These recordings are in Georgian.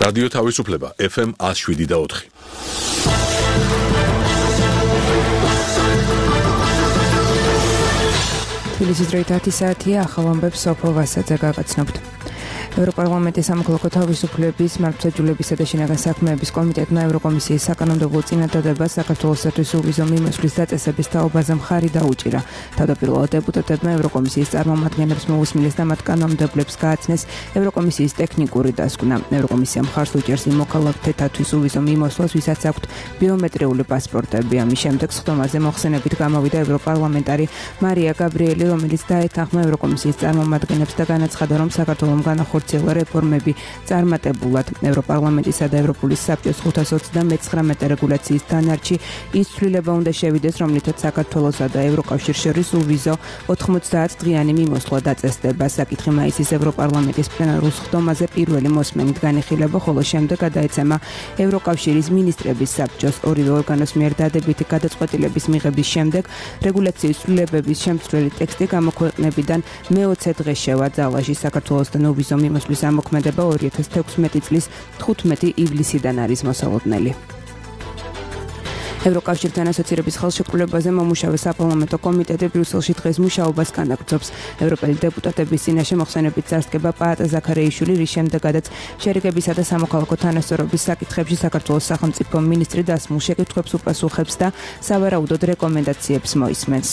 რადიო თავისუფლება FM 107.4. თბილისის დროით 10 საათია, ახალ ამბებს სოფო ვასაძე გაგაცნობთ. ევროპარლამენტის სამოქალაქო თავისუფლების, მართლმსაჯულებისა და შინაგან საქმეების კომიტეტმა ევროკომისიის საკანონმდებლო წინადადებას საქართველოსთვის უვიზო მიმოსვლის დაწესების თაობაზე მხარი დაუჭირა. თავდაპირველად დეპუტატებმა ევროკომისიის წარმომადგენლებს მოусმინეს და მათ კანონმდებლებს გააცნეს ევროკომისიის ტექნიკური დასკვნა. ევროკომისია მხარს უჭერს იმ მოქალაქეთათვის უვიზო მიმოსვლას, ვისაც აქვთ ბიომეტრიული პასპორტები. ამის შემდეგ სხდომაზე მოხსენებით გამოვიდა ევროპარლამენტარი მარია გაბრიელი, რომელიც დაეთანხმა ევროკომისიის წარმომადგენლებს და განაცხადა, რომ საქართველოს განახორციელა რეფორმები წარმატებულად. ევროპარლამენტისა და ევროპულის საბჭოს 529 რეგულაციის დანარჩი ის ცვლილება უნდა შევიდეს, რომლითაც საქართველოსა და ევროკავშირს შორის უვიზო 90 დღიანი მიმოსვლა დაწესდება. საკითხი მაისის ევროპარლამენტის პლენარულ სხდომაზე პირველი მოსმენით განიხილება, ხოლო შემდეგ გადაეცემა ევროკავშირის მინისტრების საბჭოს. ორივე ორგანოს მიერ დადებითი გადაწყვეტილების მიღების შემდეგ რეგულაციის ცვლილებების შემცვლელი ტექსტი გამოქვეყნებიდან მე-20 დღეს შევა ძალაში. საქართველოსთან უვიზო მიმოსვლის ამოქმედება 2016 წლის 15 ივლისიდან არის მოსალოდნელი. ევროკავშირთან ასოცირების ხელშეკრულებაზე მომუშავე საპარლამენტო კომიტეტი ბრიუსელში დღეს მუშაობას განაგრძობს. ევროპელი დეპუტატების წინაშე მოხსენებით წარსდგება პაატა ზაქარიაიშვილი, რის შემდეგაც შერიგებისა და სამოქალაქო თანასწორობის საკითხებში საქართველოს სახელმწიფო მინისტრი დასმულ შეკითხვებს უპასუხებს და სავარაუდოდ რეკომენდაციებს მოისმენს.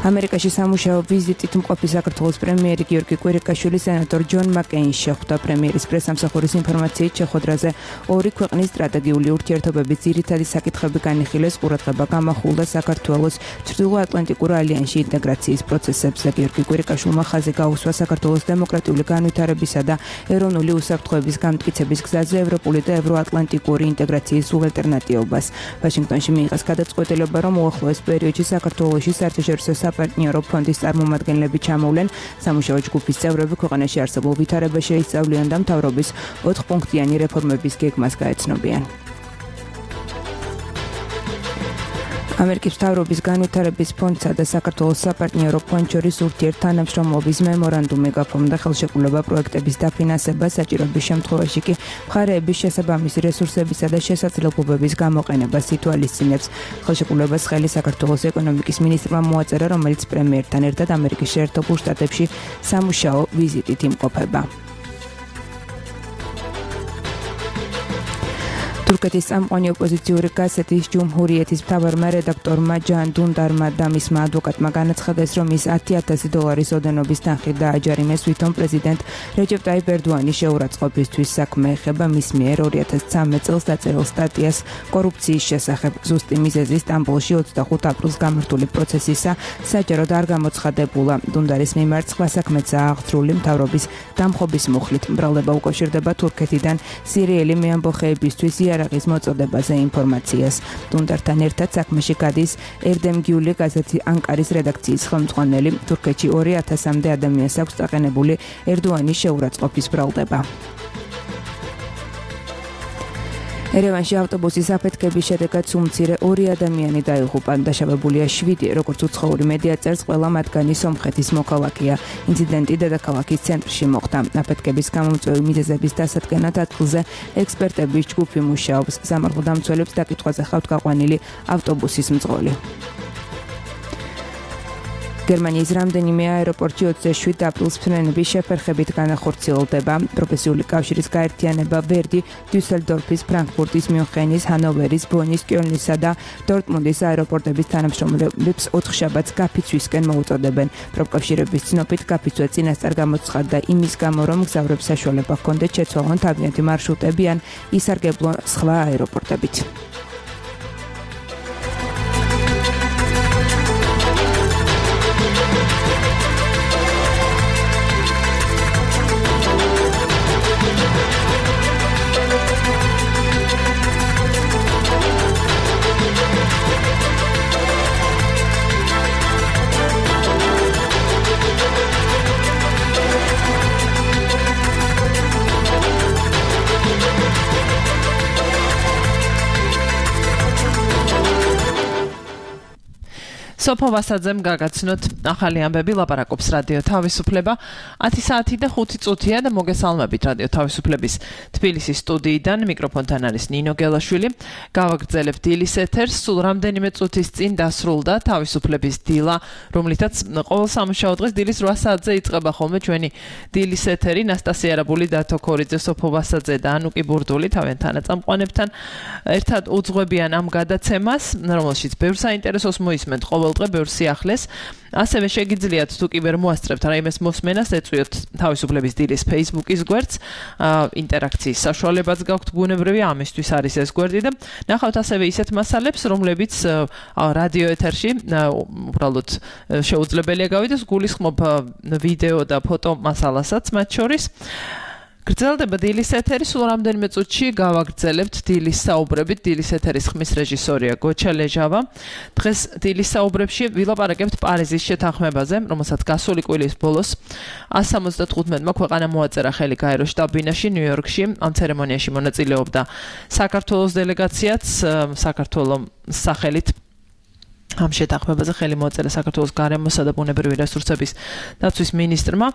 ამერიკაში სამუშაო ვიზიტით მყოფი საქართველოს პრემიერი გიორგი კვირიკაშვილი სენატორ ჯონ მაკეინს შეხვდა. პრემიერის პრესამსახურის ინფორმაციით შეხვედრაზე ორი ქვეყნის სტრატეგიული ურთიერთობების ძირითადი საკითხები განიხილეს. ყურადღება გამახვილდა საქართველოს ჩრდილოატლანტიკურ ალიანსში ინტეგრაციის პროცესებზე. გიორგი კვირიკაშვილმა ხაზი გაუსვა საქართველოს დემოკრატიული განვითარებისა და ეროვნული უსაფრთხოების გამტკიცების გზაზე ევროპული და ევროატლანტიკური ინტეგრაციის ალტერნატივას. ვაშინგტონში მიიღეს გადაწყვეტილება, რომ უახლოეს პერიოდში საქართველოში საერთაშორისო პარტნიორო ფონდის წარმომადგენლები ჩამოვლენ. სამუშაო ჯგუფის წევრები ქვეყანაში არსებულ ვითარებას შეისწავლიან და მთავრობის 4 პუნქტიანი რეფორმების გეგმას გაეცნობიან. ამერიკის მთავრობის განვითარების ფონდსა და საქართველოს საპარტნიორო ფონდ შორის ურთიერთთანამშრომლობის მემორანდუმი გაფორმდა. ხელშეკრულება პროექტების დაფინანსებას, საჭიროების შემთხვევაში კი მხარეების შესაბამისი რესურსებისა და შესაძლებლობების გამოყენებას ითვალისწინებს. ხელშეკრულებას ხელი საქართველოს ეკონომიკის მინისტრმა მოაწერა, რომელიც პრემიერთან ერთად ამერიკის შეერთებულ შტატებში სამუშაო ვიზიტით იმყოფება. თურქეთის წამყვანი ოპოზიციური გაზეთის ჯუმჰურიეთის მთავარმა რედაქტორმა ჯან დუნდარმა და მისმა ადვოკატმა განაცხადეს, რომ ის $10,000 ოდენობის თანხით დააჯარიმეს, ვითომ პრეზიდენტ რეჯეპ ტაიპ ერდოანის შეურაცხყოფისთვის. საქმე ეხება მის მიერ 2013 წელს დაწერილ სტატიას კორუფციის შესახებ. ზუსტი მიზეზი სტამბოლში 25 აპრილს გამართული პროცესისა საჯაროდ არ გამოცხადებულა. დუნდარის მიმართ სხვა საქმეცაა აღძრული მთავრობის დამხობის მუხლით. მრავლდება უკავშირდება თურქეთიდან სირიელი მეამბოხეებისთვის იარაღის მოწოდებაზე ინფორმაციას. დუნდართან ერთად საქმეში გადის ერდემგიული გაზეთი ანკარის რედაქციის ხელმძღვანელი. თურქეთში 2,000-მდე ადამიანს აქვს წაყენებული ერდოანის შეურაცხყოფის ბრალდება. ერევანში ავტობუსის აფეთქების შედეგად სულ მცირე 2 ადამიანი დაიღუპა. დაშავებულია 7, როგორც უცხოური მედია წერს, ყველა მათგანი სომხეთის მოქალაქეა. ინციდენტი დედაქალაქის ცენტრში მოხდა. აფეთქების გამომწვევი მიზეზების დასადგენად ადგილზე ექსპერტების ჯგუფი მუშაობს. სამართალდამცველებს დაკითხვაზე ხავთ გაყვანილი ავტობუსის მძღოლი. გერმანიის რამდენიმე აეროპორტში 27 აპრილს ფრენების შეფერხებით განახორციელდება. პროფესიული კავშირის გაერთიანება ვერდი დიუსელდორფის, ფრანკფურტის, მიუნხენის, ჰანოვერის, ბონის, კიოლნისა და დორტმუნდის აეროპორტების თანამშრომლებს 4 შაბათს გაფიცვისკენ მოუწოდებენ. პროფკავშირების ცნობით გაფიცვა წინასწარ გამოცხადდა იმის გამო, რომ მგზავრებს საშუალება ჰქონდეთ შეცვალონ თავიანთი მარშრუტები ან ისარგებლონ სხვა აეროპორტებით. სოფო ვასაძემ გაგაცნოთ ახალი ამბები ლაპარაკობს რადიო თავისუფლება 10 საათი და 5 წუთია და მოგესალმებით რადიო თავისუფლების თბილისის სტუდიიდან მიკროფონთან არის ნინო გელაშვილი გავაგრძელებთ დილის ეთერს სულ რამდენიმე წუთის წინ დასრულდა თავისუფლების დილა რომლითაც ყოველ სამუშაო დღეს დილის 8 საათზე იწყება ხოლმე ჩვენი დილის ეთერი ნასტასია არაბული დათო ქორიძე სოფო ვასაძე და ანუკი ბურდული თავენთან წამყვანებთან ერთად უძღვებიან ამ გადაცემას რომელშიც ბევრ საინტერესოს მოისმენთ ყოველდღე ბევრ სიახლეს ასევე შეგიძლიათ თუ კი ვერ მოასწრებთ რაიმეს მოსმენას ეწვიოთ თავისუფლების დილის Facebook-ის გვერდს ინტერაქციის საშუალებაც გაქვთ ბუნებრივი ამისთვის არის ეს გვერდი და ნახავთ ასევე ისეთ მასალებს რომლებიც რადიო ეთერში უბრალოდ შეუძლებელია გავიდეს გულისხმობ ვიდეო და ფოტო მასალასაც მათ შორის გრძელდება დილის ეთერი სულ რამდენიმე წუთში გავაგრძელებთ დილის საუბრებით დილის ეთერის ხმის რეჟისორია გოჩა ლეჟავა დღეს დილის საუბრებში ვილაპარაკებთ პარიზის შეთანხმებაზე რომელსაც გასული კვირის ბოლოს 175-მა ქვეყანა მოაწერა ხელი გაეროს შტაბ-ბინაში ნიუ-იორკში ამ ცერემონიაში მონაწილეობდა საქართველოს დელეგაციაც საქართველოს სახელით ამ შეთანხმებაზე ხელი მოაწერა საქართველოს გარემოსა და ბუნებრივი რესურსების დაცვის მინისტრმა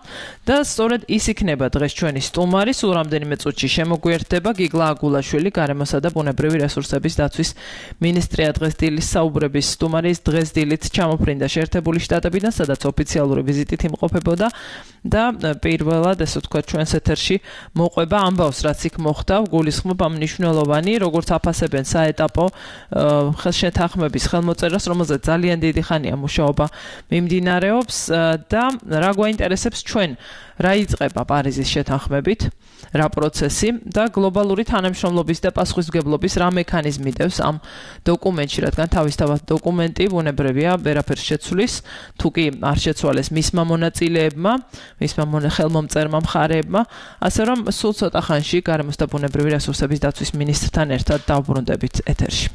და სწორედ ის იქნება დღეს ჩვენი სტუმარი სულ რამდენიმე წუთში შემოგვიერთდება გიგლა აგულაშვილი გარემოსა და ბუნებრივი რესურსების დაცვის მინისტრია დღეს დილის საუბრების სტუმარი დღეს დილით ჩამოფრინდა შეერთებული შტატებიდან სადაც ოფიციალური ვიზიტით იმყოფებოდა და პირველად ესე ვთქვათ ჩვენს ეთერში მოყვება ამბავს რაც იქ მოხდა გულისხმობ ამ მნიშვნელოვანი როგორც აფასებენ საეტაპო შეთანხმების ხელმოწერას ძალიან დიდი ხანია მუშაობა მიმდინარეობს და რა გვაინტერესებს ჩვენ რა იწყება პარიზის შეთანხმებით რა პროცესი და გლობალური თანამშრომლობის და პასუხისმგებლობის რა მექანიზმი დევს ამ დოკუმენტში რადგან თავისთავად დოკუმენტი ბუნებრივია ვერაფერს შეცვლის თუ კი არ შეცვალეს მისმა მონაწილეებმა მისმა ხელმომწერმა მხარეებმა ასე რომ სულ ცოტა ხანში გარემოს და ბუნებრივი რესურსების დაცვის მინისტრთან ერთად დავბრუნდებით ეთერში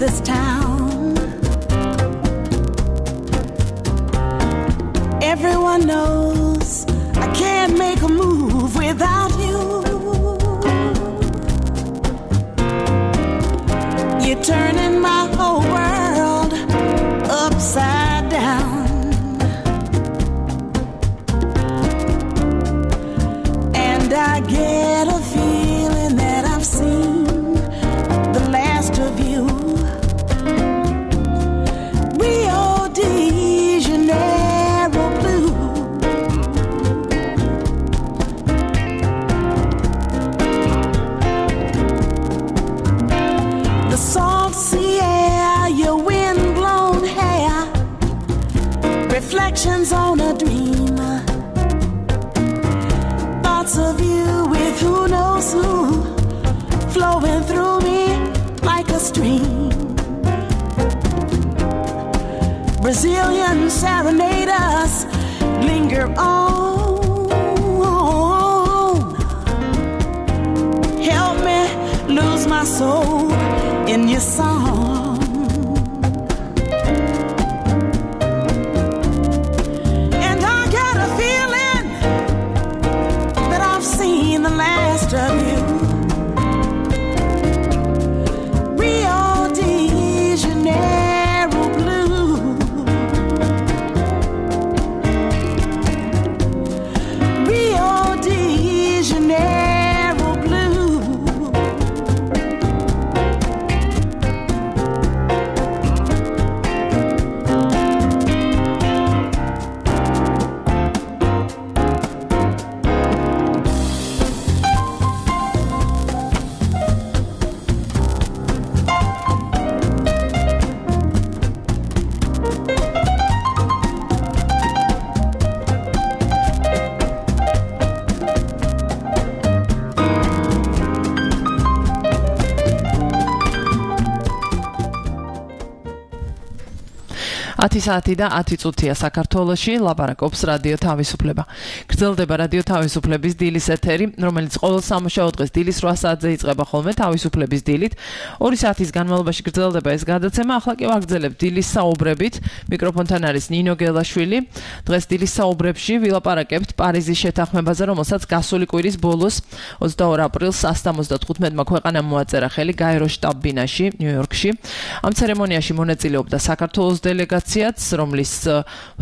this town. Everyone knows I can't make a move without you. You're turning my whole world upside down. And I get a feeling that I've seen the last of you. Reflections on a dream. Thoughts of you with who knows who flowing through me like a stream. Brazilian serenaders linger on. Help me lose my soul in your song. Of you. Rio de Janeiro blue. Rio de Janeiro blue. 10 საათი და 10 წუთია საქართველოში, ლაპარაკობს რადიო თავისუფლება. გრძელდება რადიო თავისუფლების დილის ეთერი, რომელიც ყოველ სამუშაო დღეს დილის 8 საათზე იწყება ხოლმე თავისუფლების დილით. 2 საათის განმავლობაში გრძელდება ეს გადაცემა, ახლა კი ვაგრძელებ დილის საუბრებით. მიკროფონთან არის ნინო გელაშვილი. დღეს დილის საუბრებში ვილაპარაკებთ პარიზის შეთანხმებაზე, რომელსაც გასული კვირის ბოლოს 22 აპრილს 175-მა ქვეყანამ მოაწერა ხელი გაეროს შტაბ-ბინაში, ნიუ-იორკში. ამ ცერემონიაში მონაწილეობდა საქართველოს დელეგაციაც, რომლის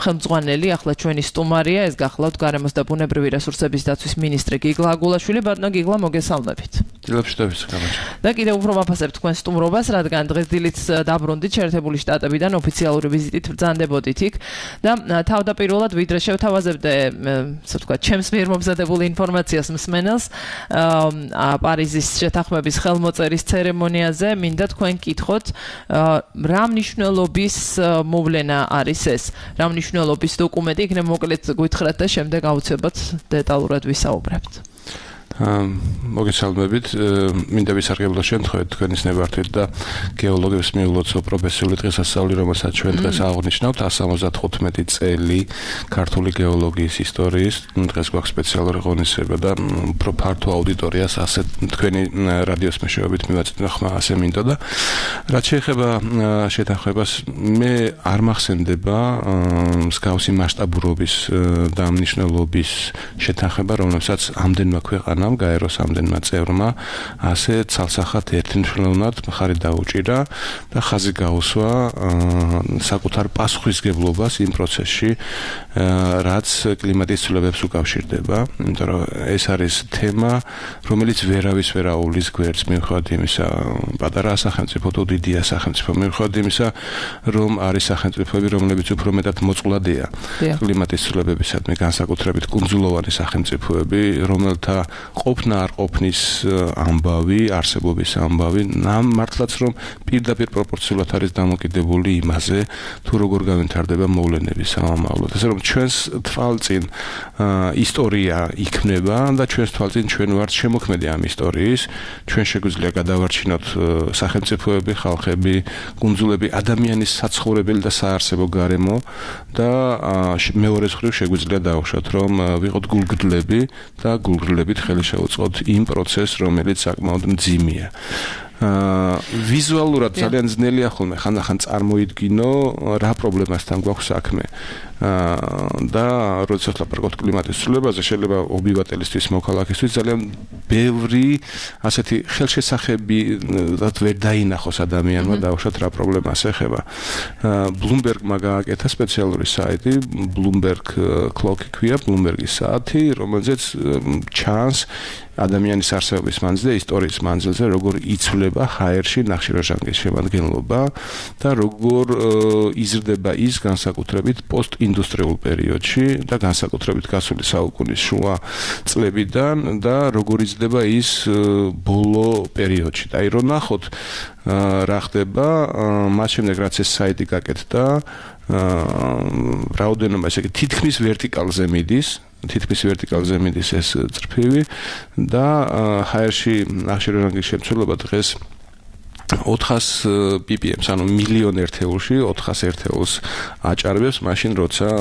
ხელმძღვანელი ახლა ჩვენი სტუმარია, ეს გახლავთ გარემოს და ბუნებრივი რესურსების დაცვის მინისტრი გიგლა აგულაშვილი. ბატონო გიგლა, მოგესალმებით. დილებს გამარჯობა. და კიდევ უფრო ვაფასებ თქვენ სტუმრობას, რადგან დღეს დილით დაბრუნდით შეერთებული შტატებიდან ოფიციალური ვიზიტით ბრძანდებოდით იქ და თავდაპირველად ვიდრე შევთავაზებდე, ასე ვთქვათ, ჩემს მიერ მომზადებული ინფორმაციას მსმენელს პარიზის შეთანხმების ხელმოწერის ცერემონიაზე, მინდა თქვენ კითხოთ, რა მნიშვნელობის მოვლენა არის ეს, რა მნიშვნელობის დოკუმენტი, იქნებ მოკლედ გვითხრათ და შემდეგ აუცილებლად დეტალურად ვისაუბრებთ. მოგესალმებით, მინდა ვისარგებლო შემთხვევით თქვენის ნებართვით და გეოლოგებს მიულოცო პროფესიული დღესასწაული, რომელსაც ჩვენ დღეს აღნიშნავთ 175 წელი ქართული გეოლოგიის ისტორიის. დღეს გვაქვს სპეციალური ღონისძიება და უფრო ფართო აუდიტორიას ასე თქვენი რადიოს მეშვეობით მივაწვდით ხმა ასე მინდოდა. რაც შეეხება შეთანხმებას, მე არ მახსენდება მსგავსი მასშტაბურობის და მნიშვნელობის შეთანხმება, რომელსაც ამდენმა ქვეყანამ გაეროს ამდენმა წევრმა ასე ცალსახად ერთმნიშვნელოვნად მხარი დაუჭირა და ხაზი გაუსვა საკუთარ პასუხისგებლობას იმ პროცესში, რაც კლიმატის ცვლილებებს უკავშირდება, იმიტომ რომ ეს არის თემა, რომელიც ვერავის ვერ აუვლის გვერდს, მიუხედავად იმისა, პატარაა სახელმწიფო თუ დიდია სახელმწიფო, მიუხედავად იმისა, რომ არის სახელმწიფოები, რომლებიც უფრო მეტად მოწყვლადია კლიმატის ცვლილებებისადმი, განსაკუთრებით კუნძულოვანი სახელმწიფოები, რომელთა ყოფნა არ ყოფნის ამბავი, არსებობის ამბავი, მართლაც რომ პირდაპირ პროპორციულად არის დამოკიდებული იმაზე, თუ როგორ განვითარდება მოვლენები სამომავლოდ. ასე რომ ჩვენს თვალწინ ისტორია იქმნება და ჩვენს თვალწინ ჩვენ ვართ შემოქმედი ამ ისტორიის. ჩვენ შეგვიძლია გადავარჩინოთ სახელმწიფოები, ხალხები, კუნძულები, ადამიანის საცხოვრებელი და საარსებო გარემო და მეორეს მხრივ შეგვიძლია დავუშვათ, რომ ვიყოთ გულგრდლები და გულგრდლებით ხელი შეუწყოთ იმ პროცესს, რომელიც საკმაოდ მძიმეა. ვიზუალურად ძალიან ძნელია ხოლმე ხანდახან წარმოიდგინო რა პრობლემასთან გვაქვს საქმე. და როდესაც ლაპარაკობთ კლიმატის ცვლილებაზე, შეიძლება ობივატელისთვის, მოქალაქისთვის ძალიან ბევრი ასეთი ხელშესახებად ვერ დაინახოს ადამიანმა დავუშვათ რა პრობლემას ეხება. Bloomberg-მა გააკეთა სპეციალური საიტი, Bloomberg Clock ქვია, Bloomberg-ის საათი, რომელზეც ჩანს ადამიანის არსებობის მანძილზე, ისტორიის მანძილზე, როგორ იცვლება ჰაერში ნახშირორჟანგის შემადგენლობა და როგორ იზრდება ის განსაკუთრებით პოსტინდუსტრიულ პერიოდში და განსაკუთრებით გასული საუკუნის შუა წლებიდან და როგორ იზრდება ის ბოლო პერიოდში. და რომ ნახოთ რა ხდება, მას შემდეგ რაც ეს საიტი გაკეთდა, რაოდენობა ესე იგი თითქმის ვერტიკალზე მიდის ეს წრფივი და ჰაერში ნახშირორჟანგის შემცველობა დღეს 400 ppm, ანუ მილიონ ერთეულში 400 ერთეულს აჭარბებს, მაშინ როცა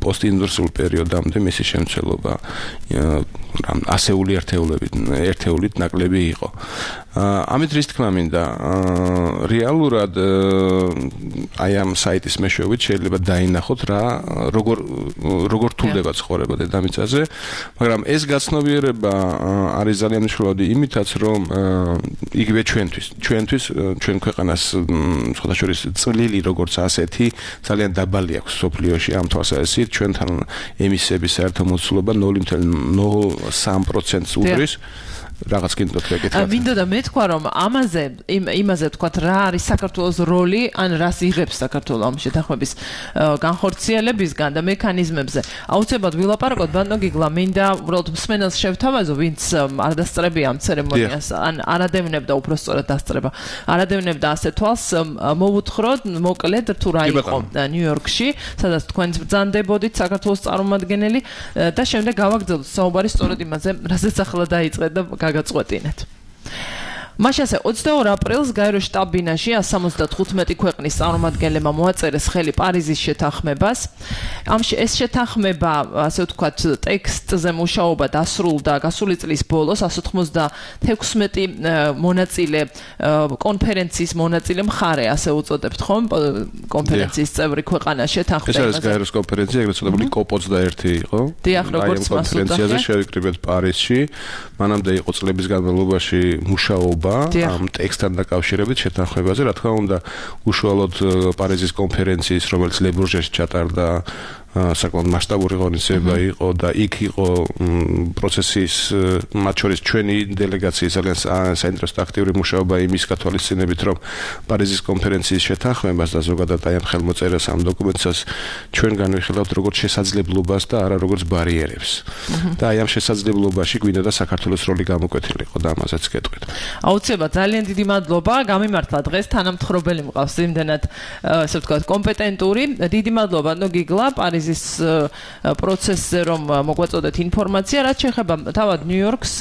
პოსტინდუსტრიულ პერიოდამდე მისი შემცველობა ასეული ერთეულით ნაკლები იყო. ამით რის თქმა მინდა, რეალურად აი ამ საიტის მეშვეობით შეიძლება დაინახოთ რა როგორ თულდება ცხოვრება დედამიწაზე, მაგრამ ეს გაცნობიერება არის ძალიან მნიშვნელოვანი იმითაც, რომ იგივე ჩვენ ქვეყანას სხვადასხვა წვლილი როგორც ასეთი ძალიან დაბალი აქვს სოფლიოში ამ თვალსაზრისით, ჩვენთან ემისიების საერთო მოცულობა 0.03% უდრის. რაღაც კიდევ ეკითხა. მინდოდა მეთქვა, რომ იმაზე ვთქვათ, რა არის საქართველოს როლი, ან რას იღებს საქართველო ამ შეთანხმების განხორციელებისგან და მექანიზმებზე. აუცილებლად ვილაპარაკოთ, ბატონო გიგლა, მინდა უბრალოდ მსმენელს შევთავაზო, ვინც არ დასწრებია ამ ცერემონიას, ან არადევნებდა უბრალოდ დასწრება. არადევნებდა ასე თვალს, მოვუთხროთ მოკლედ თუ რა იყო ნიუ-იორკში, სადაც თქვენც ბრძანდებოდით საქართველოს წარმომადგენელი და შემდეგ გავაგრძელოთ საუბარი სწორედ იმაზე, რასაც ახლა დაიწყეთ და გაგაწყვეტინეთ. მაშ ასე 22 აპრილს გაერო შტაბ-ბინაში 175 ქვეყნის წარმომადგენლებმა მოაწერეს ხელი პარიზის შეთანხმებას. ეს შეთანხმება, ასე ვთქვათ, ტექსტზე მუშაობა დასრულდა გასული წლის ბოლოს 176 მონაწილე კონფერენციის მონაწილე მხარე, ასე უწოდებთ ხომ, კონფერენციის წევრი ქვეყანა შეთანხმებას. ეს არის გაეროს კონფერენცია, ეგრეთ წოდებული COP21 იყო. დიახ, როგორც კონფერენციაზე შევიკრიბეთ პარიზში. მანამდე იყო წლების განმავლობაში მუშაობა ამ ტექსტთან დაკავშირებით შეთანხმებაზე, რა თქმა უნდა, უშუალოდ პარიზის კონფერენციის, რომელიც ლე-ბრუჟეში ჩატარდა, საკმაოდ მასშტაბური ღონისძიება იყო და იქ იყო პროცესის მათ შორის ჩვენი დელეგაციის ძალიან საინტერესო აქტიური მუშაობა იმის გათვალისწინებით, რომ პარიზის კონფერენციის შეთანხმებას და ზოგადად აი ამ ხელმოწერას ამ დოკუმენტს ჩვენ განვიხილავთ როგორც შესაძლებლობას და არა როგორც ბარიერებს. და აი ამ შესაძლებლობაში გვინდა და საქართველოს როლი გამოკვეთილიყო და ამაზეც გეტყვით. აუცილებლად ძალიან დიდი მადლობა, გამიმართლა დღეს თანამთხრობელი მყავს იმდენად ასე ვთქვათ კომპეტენტური. დიდი მადლობა ნო გიგლა პარიზის პროცესზე რომ მოგვაწოდეთ ინფორმაცია, რაც შეეხება თავად ნიუ-იორკს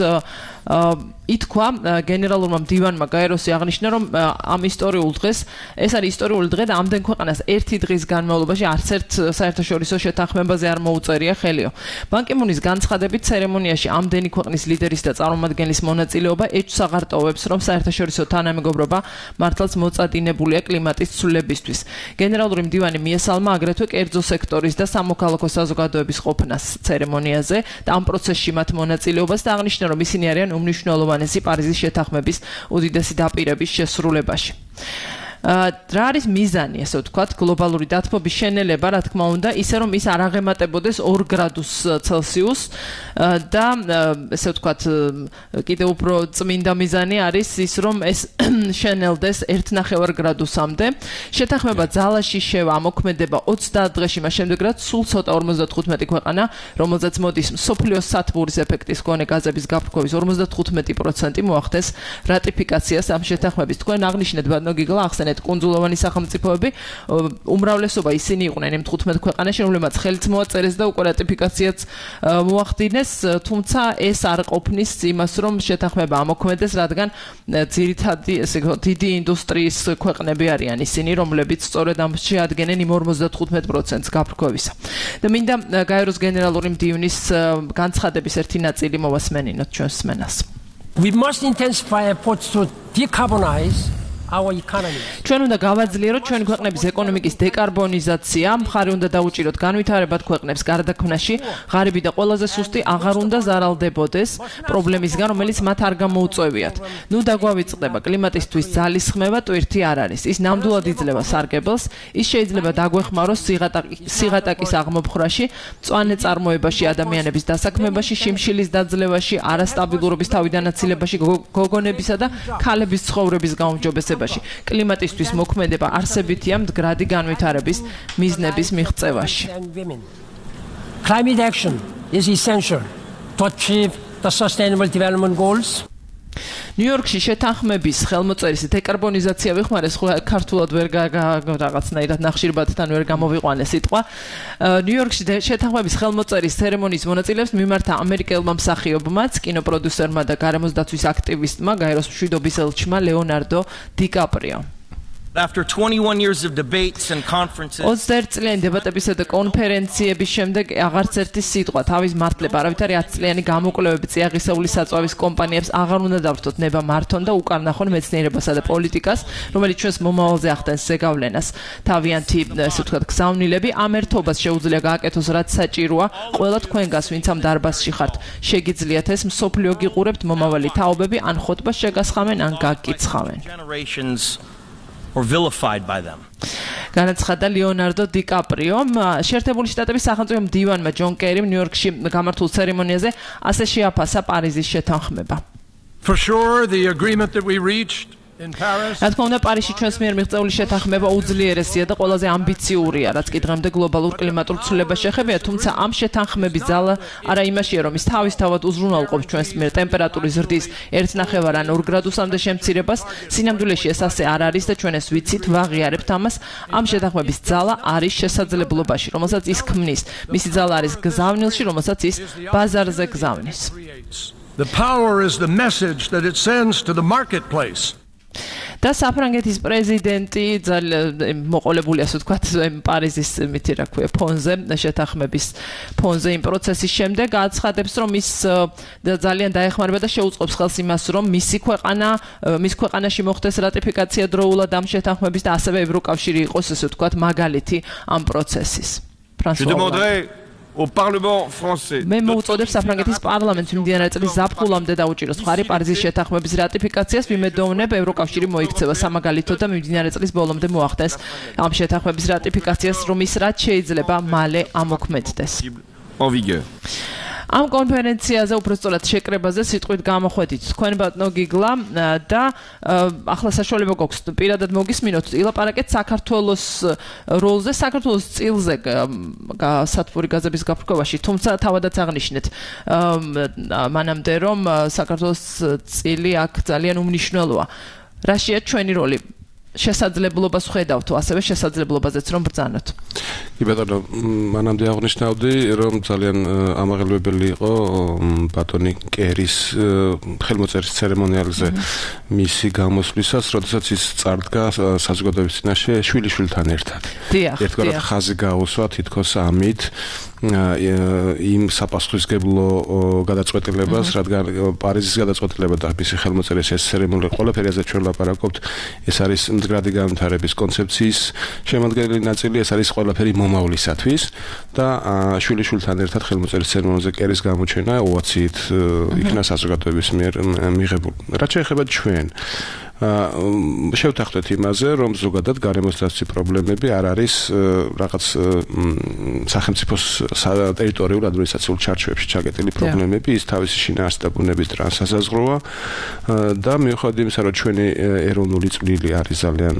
ითქვა გენერალურმა მდივანმა გაეროსი აღნიშნა, რომ ამ ისტორიულ დღეს, ეს არის ისტორიული დღე და ამდენ ქვეყანას ერთი დღის განმავლობაში არც ერთ საერთაშორისო შეთანხმებაზე არ მოუწერია ხელიო. ბან კი მუნის განცხადებით ცერემონიაში ამდენი ქვეყნის ლიდერის და წარმომადგენლის მონაწილეობა ეჭვს აღარ ტოვებს, რომ საერთაშორისო თანამეგობრობა მართლაც მოწადინებულია კლიმატის ცვლილებისთვის. გენერალური მდივანი მიესალმა აგრეთვე კერძო სექტორის და სამოქალაქო საზოგადოების ყოფნას ცერემონიაზე და ამ პროცესში მათ მონაწილეობას და აღნიშნა, რომ ისინი არიან უმნიშვნელოვანესი პარიზის შეთანხმების უდიდესი დაპირების შესრულებაში. რა არის მიზანი, ასე ვთქვათ, გლობალური დათბობის შენელება, რა თქმა უნდა, ისე რომ ის არ აღემატებოდეს 2 გრადუს ცელსიუსს და ასე ვთქვათ, კიდევ უფრო წმინდა მიზანი არის ის, რომ ეს შენელდეს 1.5 გრადუსამდე. შეთანხმება ძალაში შევა მოქმედება 30 დღეში, მას შემდეგ რაც სულ ცოტა 55 ქვეყანა, რომელზეც მოდის მსოფლიოს სათბურის ეფექტის მქონე გაზების გაფრქვევის 55% მოახდენს რატიფიკაციას ამ შეთანხმების. თქვენ აღნიშნეთ ბატონო გიგლა, ახსენეთ კუნძულოვანი სახელმწიფოები, უმრავლესობა ისინი იყვნენ იმ 15 ქვეყანაში, რომლებმაც ხელით მოაწერეს და უკვე რატიფიკაციაც მოახდინეს, თუმცა ეს არ ყოფნის იმას, რომ შეთანხმება ამოქმედეს, რადგან ძირითადი ესე დიდი ინდუსტრიის ქვეყნები არიან ისინი, რომლებიც სწორედ ამ შეადგენენ იმ 55%-ს გაფრქვევისა. და მინდა გაეროს გენერალური მდივნის განცხადების ერთი ნაწილი მოვასმენინოთ ჩვენს სმენას. We must intensify efforts to decarbonize ჩვენ უნდა გავაძლიეროთ ჩვენი ქვეყნების ეკონომიკის დეკარბონიზაცია, მხარი უნდა დაუჭიროთ განვითარებად ქვეყნებს გარდაქმნაში, ღარიბი და ყველაზე სუსტი აღარ უნდა ზარალდებოდეს პრობლემისგან, რომელიც მათ არ გამოუწვევიათ. ნუ დაგვავიწყდება კლიმატისთვის ძალისხმევა, ტვირთი არ არის. ის ნამდვილად იძლევა სარგებელს, ის შეიძლება დაგვეხმაროს სიღატაკის აღმოფხრაში, მწვანე წარმოებაში, ადამიანების დასაქმებაში, შიმშილის დაძლევაში, არასტაბილურობის თავიდანაცილებაში, გოგონებისა და ქალების ცხოვრების გაუმჯობესებაში. კლიმატისთვის მოქმედება არსებითია მდგრადი განვითარების მიზნების მიღწევაში. Climate action is essential to achieve the sustainable development goals. ნიუ-იორკში შეთანხმების ხელმოწერის დეკარბონიზაცია ვიხმარეს, ხო ქართულად ვერ რაღაცნაირად ნახშირბადთან ვერ გამოვიყვანე სიტყვა. ნიუ-იორკში შეთანხმების ხელმოწერის ცერემონიის მონაწილეებს მიმართა ამერიკელმა მსახიობმაც, კინოპროდიუსერმა და გარემოსდაცვის აქტივისტმა, გაეროს მშვიდობის ელჩმა ლეონარდო დიკაპრიო. After 21 years of debates and conferences 21 წლიანი დებატებისა და კონფერენციების შემდეგ აღარც ერთი სიტყვა თავის მართლება არავითარი 10 წლიანი გამოკვლევები წიაღისეული საწვავის კომპანიებს აღარ უნდა დავრთოთ ნება მართონ და უკარნახონ მეცნიერებასა და პოლიტიკას, რომელიც ჩვენს მომავალზე ახდენს ზეგავლენას. თავიანთი, ასე ვთქვათ, გზავნილები ამ ერთობას შეუძლია გააკეთოს, რაც საჭიროა ყველა თქვენგას, ვინც ამ დარბაზში ხართ. შეგიძლიათ ეს მსოფლიო გიყურებთ მომავალი თაობები, ან ხოტბას შეგასხამენ, ან გაგკიცხავენ. or vilified by them. განაცხადა ლეონარდო დიკაპრიო. შეერთებული შტატების სახელმწიფო მდივანმა ჯონ კერიმ ნიუ-იორკში გამართულ ცერემონიაზე ასე შეაფასა პარიზის შეთანხმება. For sure the agreement that we reached in Paris. რა თქმა უნდა, პარიზში ჩვენს მიერ მიღწეული შეთანხმება უძლიერესია და ყველაზე ამბიციურია, რაც კი დღემდე გლობალურ კლიმატურ ცვლილებას შეეხებია, თუმცა ამ შეთანხმების ძალა არა იმაშია, რომ ის თავისთავად უზრუნველყოფს ჩვენს მიერ ტემპერატურის ზრდის 1.5 ან 2 გრადუსამდე შემცირებას. სინამდვილეში ეს ასე არ არის და ჩვენ ეს ვიცით, ვაღიარებთ ამას. ამ შეთანხმების ძალა არის შესაძლებლობაში, რომელსაც ის ქმნის. მისი ძალა არის გზავნილში, რომელსაც ის ბაზარზე გზავნის. The power is the message that it sends to the marketplace. და საფრანგეთის პრეზიდენტი მოყოლებული ასე ვთქვათ პარიზის მითი რა ქვია ფონზე შეთანხმების ფონზე იმ პროცესის შემდეგ აცხადებს რომ ის ძალიან დაეხმარება და შეუწყობს ხელს იმას რომ მის ქვეყანაში მოხდეს რატიფიკაცია დროულად ამ შეთანხმების და ასევე ევროკავშირი იყოს ასე ვთქვათ მაგალითი ამ პროცესის. Au Parlement français. მე მოუწოდებ საფრანგეთის პარლამენტს მიმდინარე წლის ზაფხულამდე დაუჭიროს მხარი პარიზის შეთანხმების რატიფიკაციას, ვიმედოვნებ ევროკავშირი მოიქცევა სამაგალითოდ და მიმდინარე წლის ბოლომდე მოახდეს ამ შეთანხმების რატიფიკაციას, რომ ის რაც შეიძლება მალე ამოქმედდეს. En vigueur. ამ კონფერენციაზე უბრალოდ შეკრებაზე სიტყვით გამოხვედით თქვენ ბატონო გიგლა და ახლა საშუალება გვაქვს პირადად მოგისმინოთ ილაპარაკეთ საქართველოს როლზე, საქართველოს წილზე სათბური გაზების გაფრქვევაში, თუმცა თავადაც აღნიშნეთ მანამდე რომ საქართველოს წილი აქ ძალიან უმნიშვნელოა. რაშია ჩვენი როლი? შესაძლებლობას ხედავთ, ასევე შესაძლებლობაზეც რომ ბრძანოთ. კი ბატონო, მანამდე აღნიშნავდი, რომ ძალიან ამაღელვებელი იყო ბატონი კერის ხელმოწერის ცერემონიალზე მისი გამოსვლისას, როდესაც ის წარდგა საზოგადოების წინაშე შვილიშვილთან ერთად. ერთგვარად ხაზი გაუსვა თითქოს ამით იმ საპასუხისმგებლო გადაწყვეტილებას, რადგან პარიზის გადაწყვეტილება და მისი ხელმოწერის ეს ცერემონია ყველაფერი ასე ჩვენ ლაპარაკობთ, ეს არის მდგრადი განვითარების კონცეფციის შემადგენელი ნაწილი, ეს არის ყველაფერი მომავლისათვის და შვილიშვილთან ერთად ხელმოწერის ცერემონიაზე კერის გამოჩენა ოვაციით იქნა საზოგადოების მიერ მიღებული. რაც შეეხება ჩვენ შევთანხმდეთ იმაზე, რომ ზოგადად გარემოსდაცვის პრობლემები არ არის რაღაც სახელმწიფოს ტერიტორიულ ადმინისტრაციულ ჩარჩოებში ჩაკეტილი პრობლემები, ის თავისი შინაარსით და ბუნების ტრანსსაზღვროა და მიუხედავად იმისა, რომ ჩვენი ეროვნული წვლილი არის ძალიან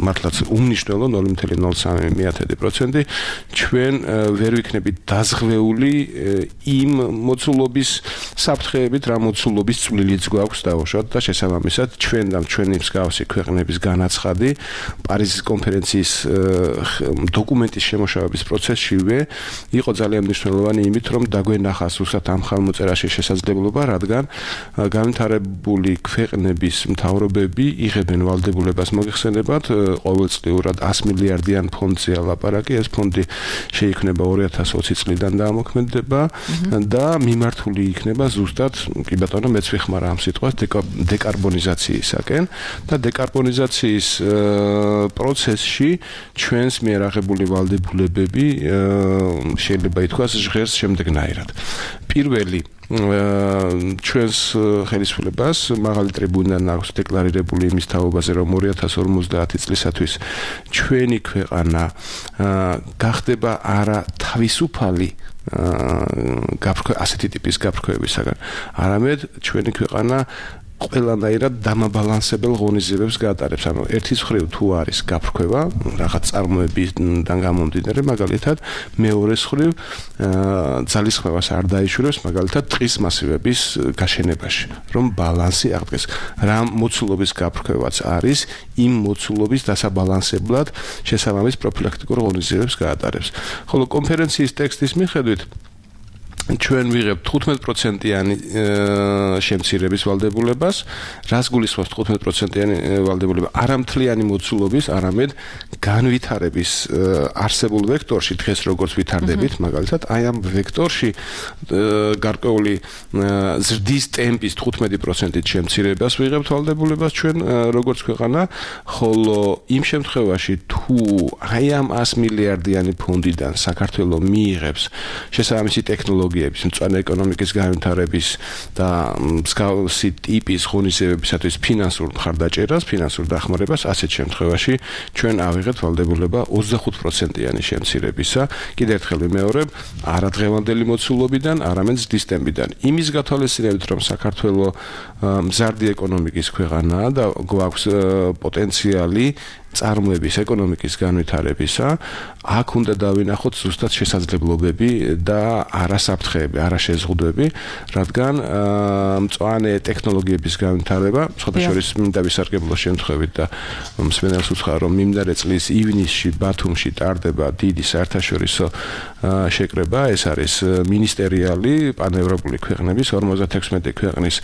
მართლაც უმნიშვნელო 0.03%, ჩვენ ვერ ვიქნებით დაზღვეული იმ მოცულობის საფრთხეებით, რა მოცულობის წვლილიც გვაქვს დაუშვათ და შესაბამისად ჩვენ ჩვენი მსგავსი ქვეყნების განაცხადი პარიზის კონფერენციის დოკუმენტის შემოშავების პროცესშივე იყო ძალიან მნიშვნელოვანი იმით, რომ დაგვენახა სუსტად ამ ხელმოწერაში შესაძლებლობა, რადგან განვითარებული ქვეყნების მთავრობები იღებენ ვალდებულებას მოიხსენებათ ყოველწლიურად 100 მილიარდიან ფონდზე ლაპარაკი, ეს ფონდი შეიქმნება 2020 წლიდან დაამოქმედება და მიმართული იქნება ზუსტად, კი ბატონო, მეც ვიხმარ ამ სიტყვას დეკარბონიზაციისაკენ და დეკარბონიზაციის პროცესში ჩვენს მიერ აღებული ვალდებულებები შეიძლება ითქვას ჟღერს შემდეგნაირად. პირველი ჩვენს ხელისუფლებას მაღალი ტრიბუნიდან აქვს დეკლარირებული იმის თაობაზე, რომ 2050 წლისათვის ჩვენი ქვეყანა გახდება არა თავისუფალი ასეთი ტიპის გაფრქვევისაგან, არამედ ჩვენი ქვეყანა ყველანაირად დამაბალანსებელ ღონისძიებებს გაატარებს. ანუ ერთის მხრივ თუ არის გაფრქვევა, რაღაც წარმოებიდან გამომდინარე, მაგალითად, მეორეს მხრივ ძალისხმევას არ დაიშურებს, მაგალითად, ტყის მასივების გაშენებაში, რომ ბალანსი აღდგეს. რა მოცულობის გაფრქვევაც არის, იმ მოცულობის დასაბალანსებლად შესაბამის პროფილაქტიკურ ღონისძიებებს გაატარებს. ხოლო კონფერენციის ტექსტის მიხედვით ჩვენ ვიღებთ 15%-იანი შემცირების ვალდებულებას, რაც გულისხმობს 15%-იანი ვალდებულება არამთლიანი მოცულობის, არამედ განვითარების არსებულ ვექტორში, დღეს როგორც ვითარდებით, მაგალითად, აი ამ ვექტორში გარკვეული ზრდის ტემპის 15%-ით შემცირებას ვიღებთ ვალდებულებას ჩვენ როგორც ქვეყანა, ხოლო იმ შემთხვევაში თუ აი ამ 100 მილიარდიანი ფონდიდან საქართველოს მიიღებს შესაბამისი ტექნოლოგია მწვანე ეკონომიკის განვითარების და მსგავსი ტიპის ღონისძიებებისათვის ფინანსურ მხარდაჭერას, ფინანსურ დახმარებას, ასეთ შემთხვევაში ჩვენ ავიღებთ ვალდებულება 25%-იანი შემცირებისა. კიდევ ერთხელ ვიმეორებ, არა დღევანდელი მოცულობიდან, არამედ ზრდის ტემპიდან. იმის გათვალისწინებით, რომ საქართველოს მზარდი ეკონომიკის ქვეყანაა და გვაქვს პოტენციალი წარმოების ეკონომიკის განვითარებისა, აქ უნდა დავინახოთ ზუსტად შესაძლებლობები და არასაფრთხეები, არაშეზღუდვები, რადგან მწვანე ტექნოლოგიების განვითარება, სხვადასხვა მინდა ვისარგებლოს შემთხვევით და მსმენელს უცხარ, რომ მიმდინარე წლის ივნისში ბათუმში ტარდება დიდი საერთაშორისო შეკრება, ეს არის მინისტერიალი პანევროპული ქვეყნების 56 ქვეყნის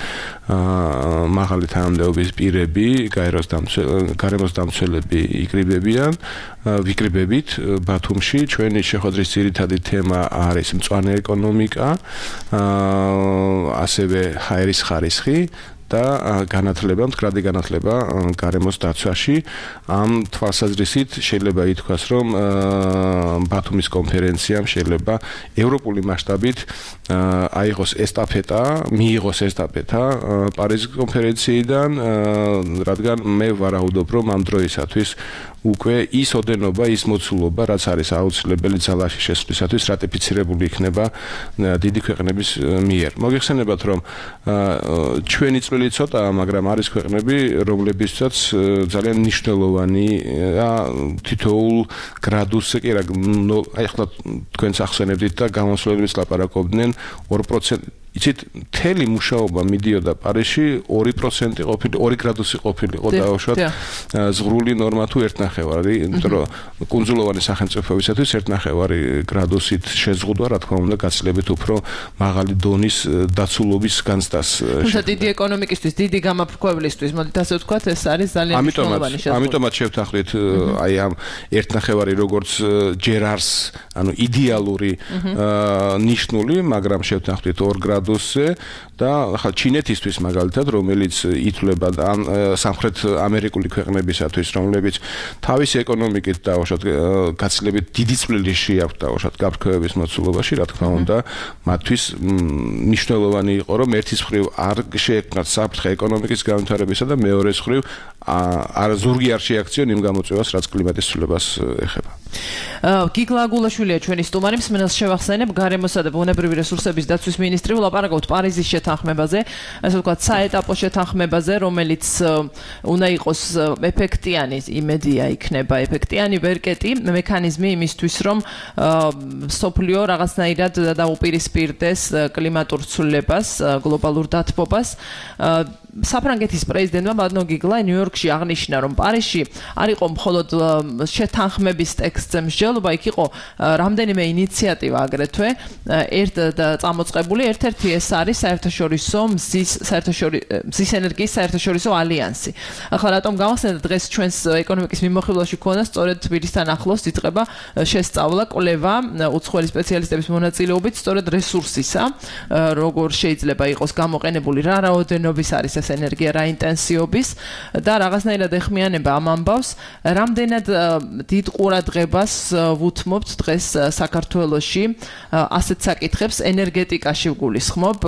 მაღალი თანამდებობის პირები, გარემოს დამცველები ვიკრიბებით ბათუმში. ჩვენი შეხვედრის ძირითადი თემა არის მწვანე ეკონომიკა, ასევე ჰაერის ხარისხი და განათლება, მდგრადი განათლება გარემოს დაცვაში. ამ თვალსაზრისით შეიძლება ითქვას, რომ ბათუმის კონფერენციამ შეიძლება ევროპული მასშტაბით მიიღოს ესტაფეტა პარიზის კონფერენციიდან, რადგან მე ვარაუდობ, რომ ამ დროისათვის უკვე ის ოდენობა, ის მოცულობა, რაც არის აუცილებელი ძალაში შესვლისათვის, რატიფიცირებული იქნება დიდი ქვეყნების მიერ. მოგეხსენებათ, რომ ჩვენი წვლილი ცოტაა, მაგრამ არის ქვეყნები, რომლებიცაც ძალიან მნიშვნელოვანი თითოეულ გრადუსზე კი რა, აი ახლა თქვენს ახსენებდით და გამოსვლების ლაპარაკობდნენ 2%. იცით, მთელი მუშაობა მიდიოდა პარიზში 2% ყოფილი, 2 გრადუსი ყოფილიყო დაუშვათ ზღვრული ნორმა თუ 1.5, იმიტომ რომ კუნძულოვანი სახელმწიფოებისათვის 1.5 გრადუსით შეზღუდვა, რა თქმა უნდა, გაცილებით უფრო მაღალი დონის დაცულობის განცდას. თუმცა დიდი ეკონომიკისთვის, დიდი გამაფრქვევლისთვის, მოდით ასე ვთქვათ, ეს არის ძალიან მნიშვნელოვანი შეზღუდვა. ამიტომაც შევთანხმდით აი ამ 1.5 როგორც ჯერ არს, ანუ იდეალური ნიშნული, მაგრამ შევთანხმდით 2 გრადუსი და ახლა ჩინეთისთვის მაგალითად, რომელიც ითვლება სამხრეთ ამერიკული ქვეყნებისათვის, რომლებიც თავისი ეკონომიკით დაუშვათ გაცილებით დიდი წვლილი შეაქვთ დაუშვათ გაფრქვევების მოცულობაში, რა თქმა უნდა, მათთვის მნიშვნელოვანი იყო, რომ ერთის მხრივ არ შეექმნათ საფრთხე ეკონომიკის განვითარებისა და მეორეს მხრივ ზურგი არ შეაქციონ იმ გამოწვევას, რაც კლიმატის ცვლილებას ეხება. გიგლა აგულაშვილია ჩვენი სტუმარი, მსმენელს შევახსენებ, გარემოსა და ბუნებრივი რესურსების დაცვის მინისტრი, ვლაპარაკობთ პარიზის შეთანხმებაზე, ასე ვთქვათ, საეტაპო შეთანხმებაზე, რომელიც უნდა იყოს ეფექტიანი, იმედია იქნება ეფექტიანი ვერკეტი, მექანიზმი იმისთვის, რომ სოფლიო რაღაცნაირად დაუპირისპირდეს კლიმატურ ცვლილებას, გლობალურ დათბობას. საფრანგეთის პრეზიდენტმა ბადნო გიგლა ნიუ-იორკში აღნიშნა, რომ პარიზში არ იყო მხოლოდ შეთანხმების ტექსტზე მსჯელობა, იქ იყო რამდენიმე ინიციატივა აგრეთვე, წამოწყებული, ერთ-ერთი ეს არის საერთაშორისო მზის ენერგიის საერთაშორისო ალიანსი. ახლა რატომ გავახსენეთ დღეს ჩვენს ეკონომიკის მიმოხილვაში ქონა სწორედ თბილისთან ახლოს იწყება შესწავლა, კვლევა უცხოელი სპეციალისტების მონაწილეობით სწორედ რესურსისა, როგორ შეიძლება იყოს გამოყენებული, რა რაოდენობის არის ეს ენერგია, რა ინტენსივობის და რაღაცნაირად ეხმიანება ამ ამბავს, რამდენად დიდ ყურადღებას ვუთმობთ დღეს საქართველოში ასეთ საკითხებს, ენერგეტიკაში ვგულისხმობ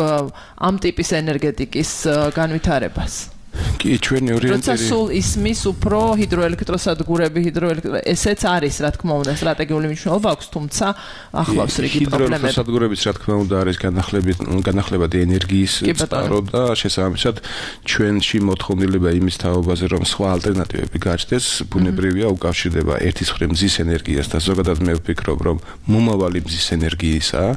ამ ტიპის ენერგეტიკის განვითარებას. კი, ჩვენი ორიენტირი. როცა სულ ისმის უფრო ჰიდროელექტროსადგურები, ესეც არის, რა თქმა უნდა, სტრატეგიული მნიშვნელობა აქვს, თუმცა ახლავს რიგი პრობლემები. ჰიდროელექტროსადგურებიც, რა თქმა უნდა, არის განახლებადი ენერგიის წყარო და შესაბამისად ჩვენში მოთხოვნილება იმის თაობაზე, რომ სხვა ალტერნატივები გაჩნდეს, ბუნებრივია უკავშირდება ერთის მხრივ მზის ენერგიას და ზოგადად მე ვფიქრობ, რომ მომავალი მზის ენერგიისაა.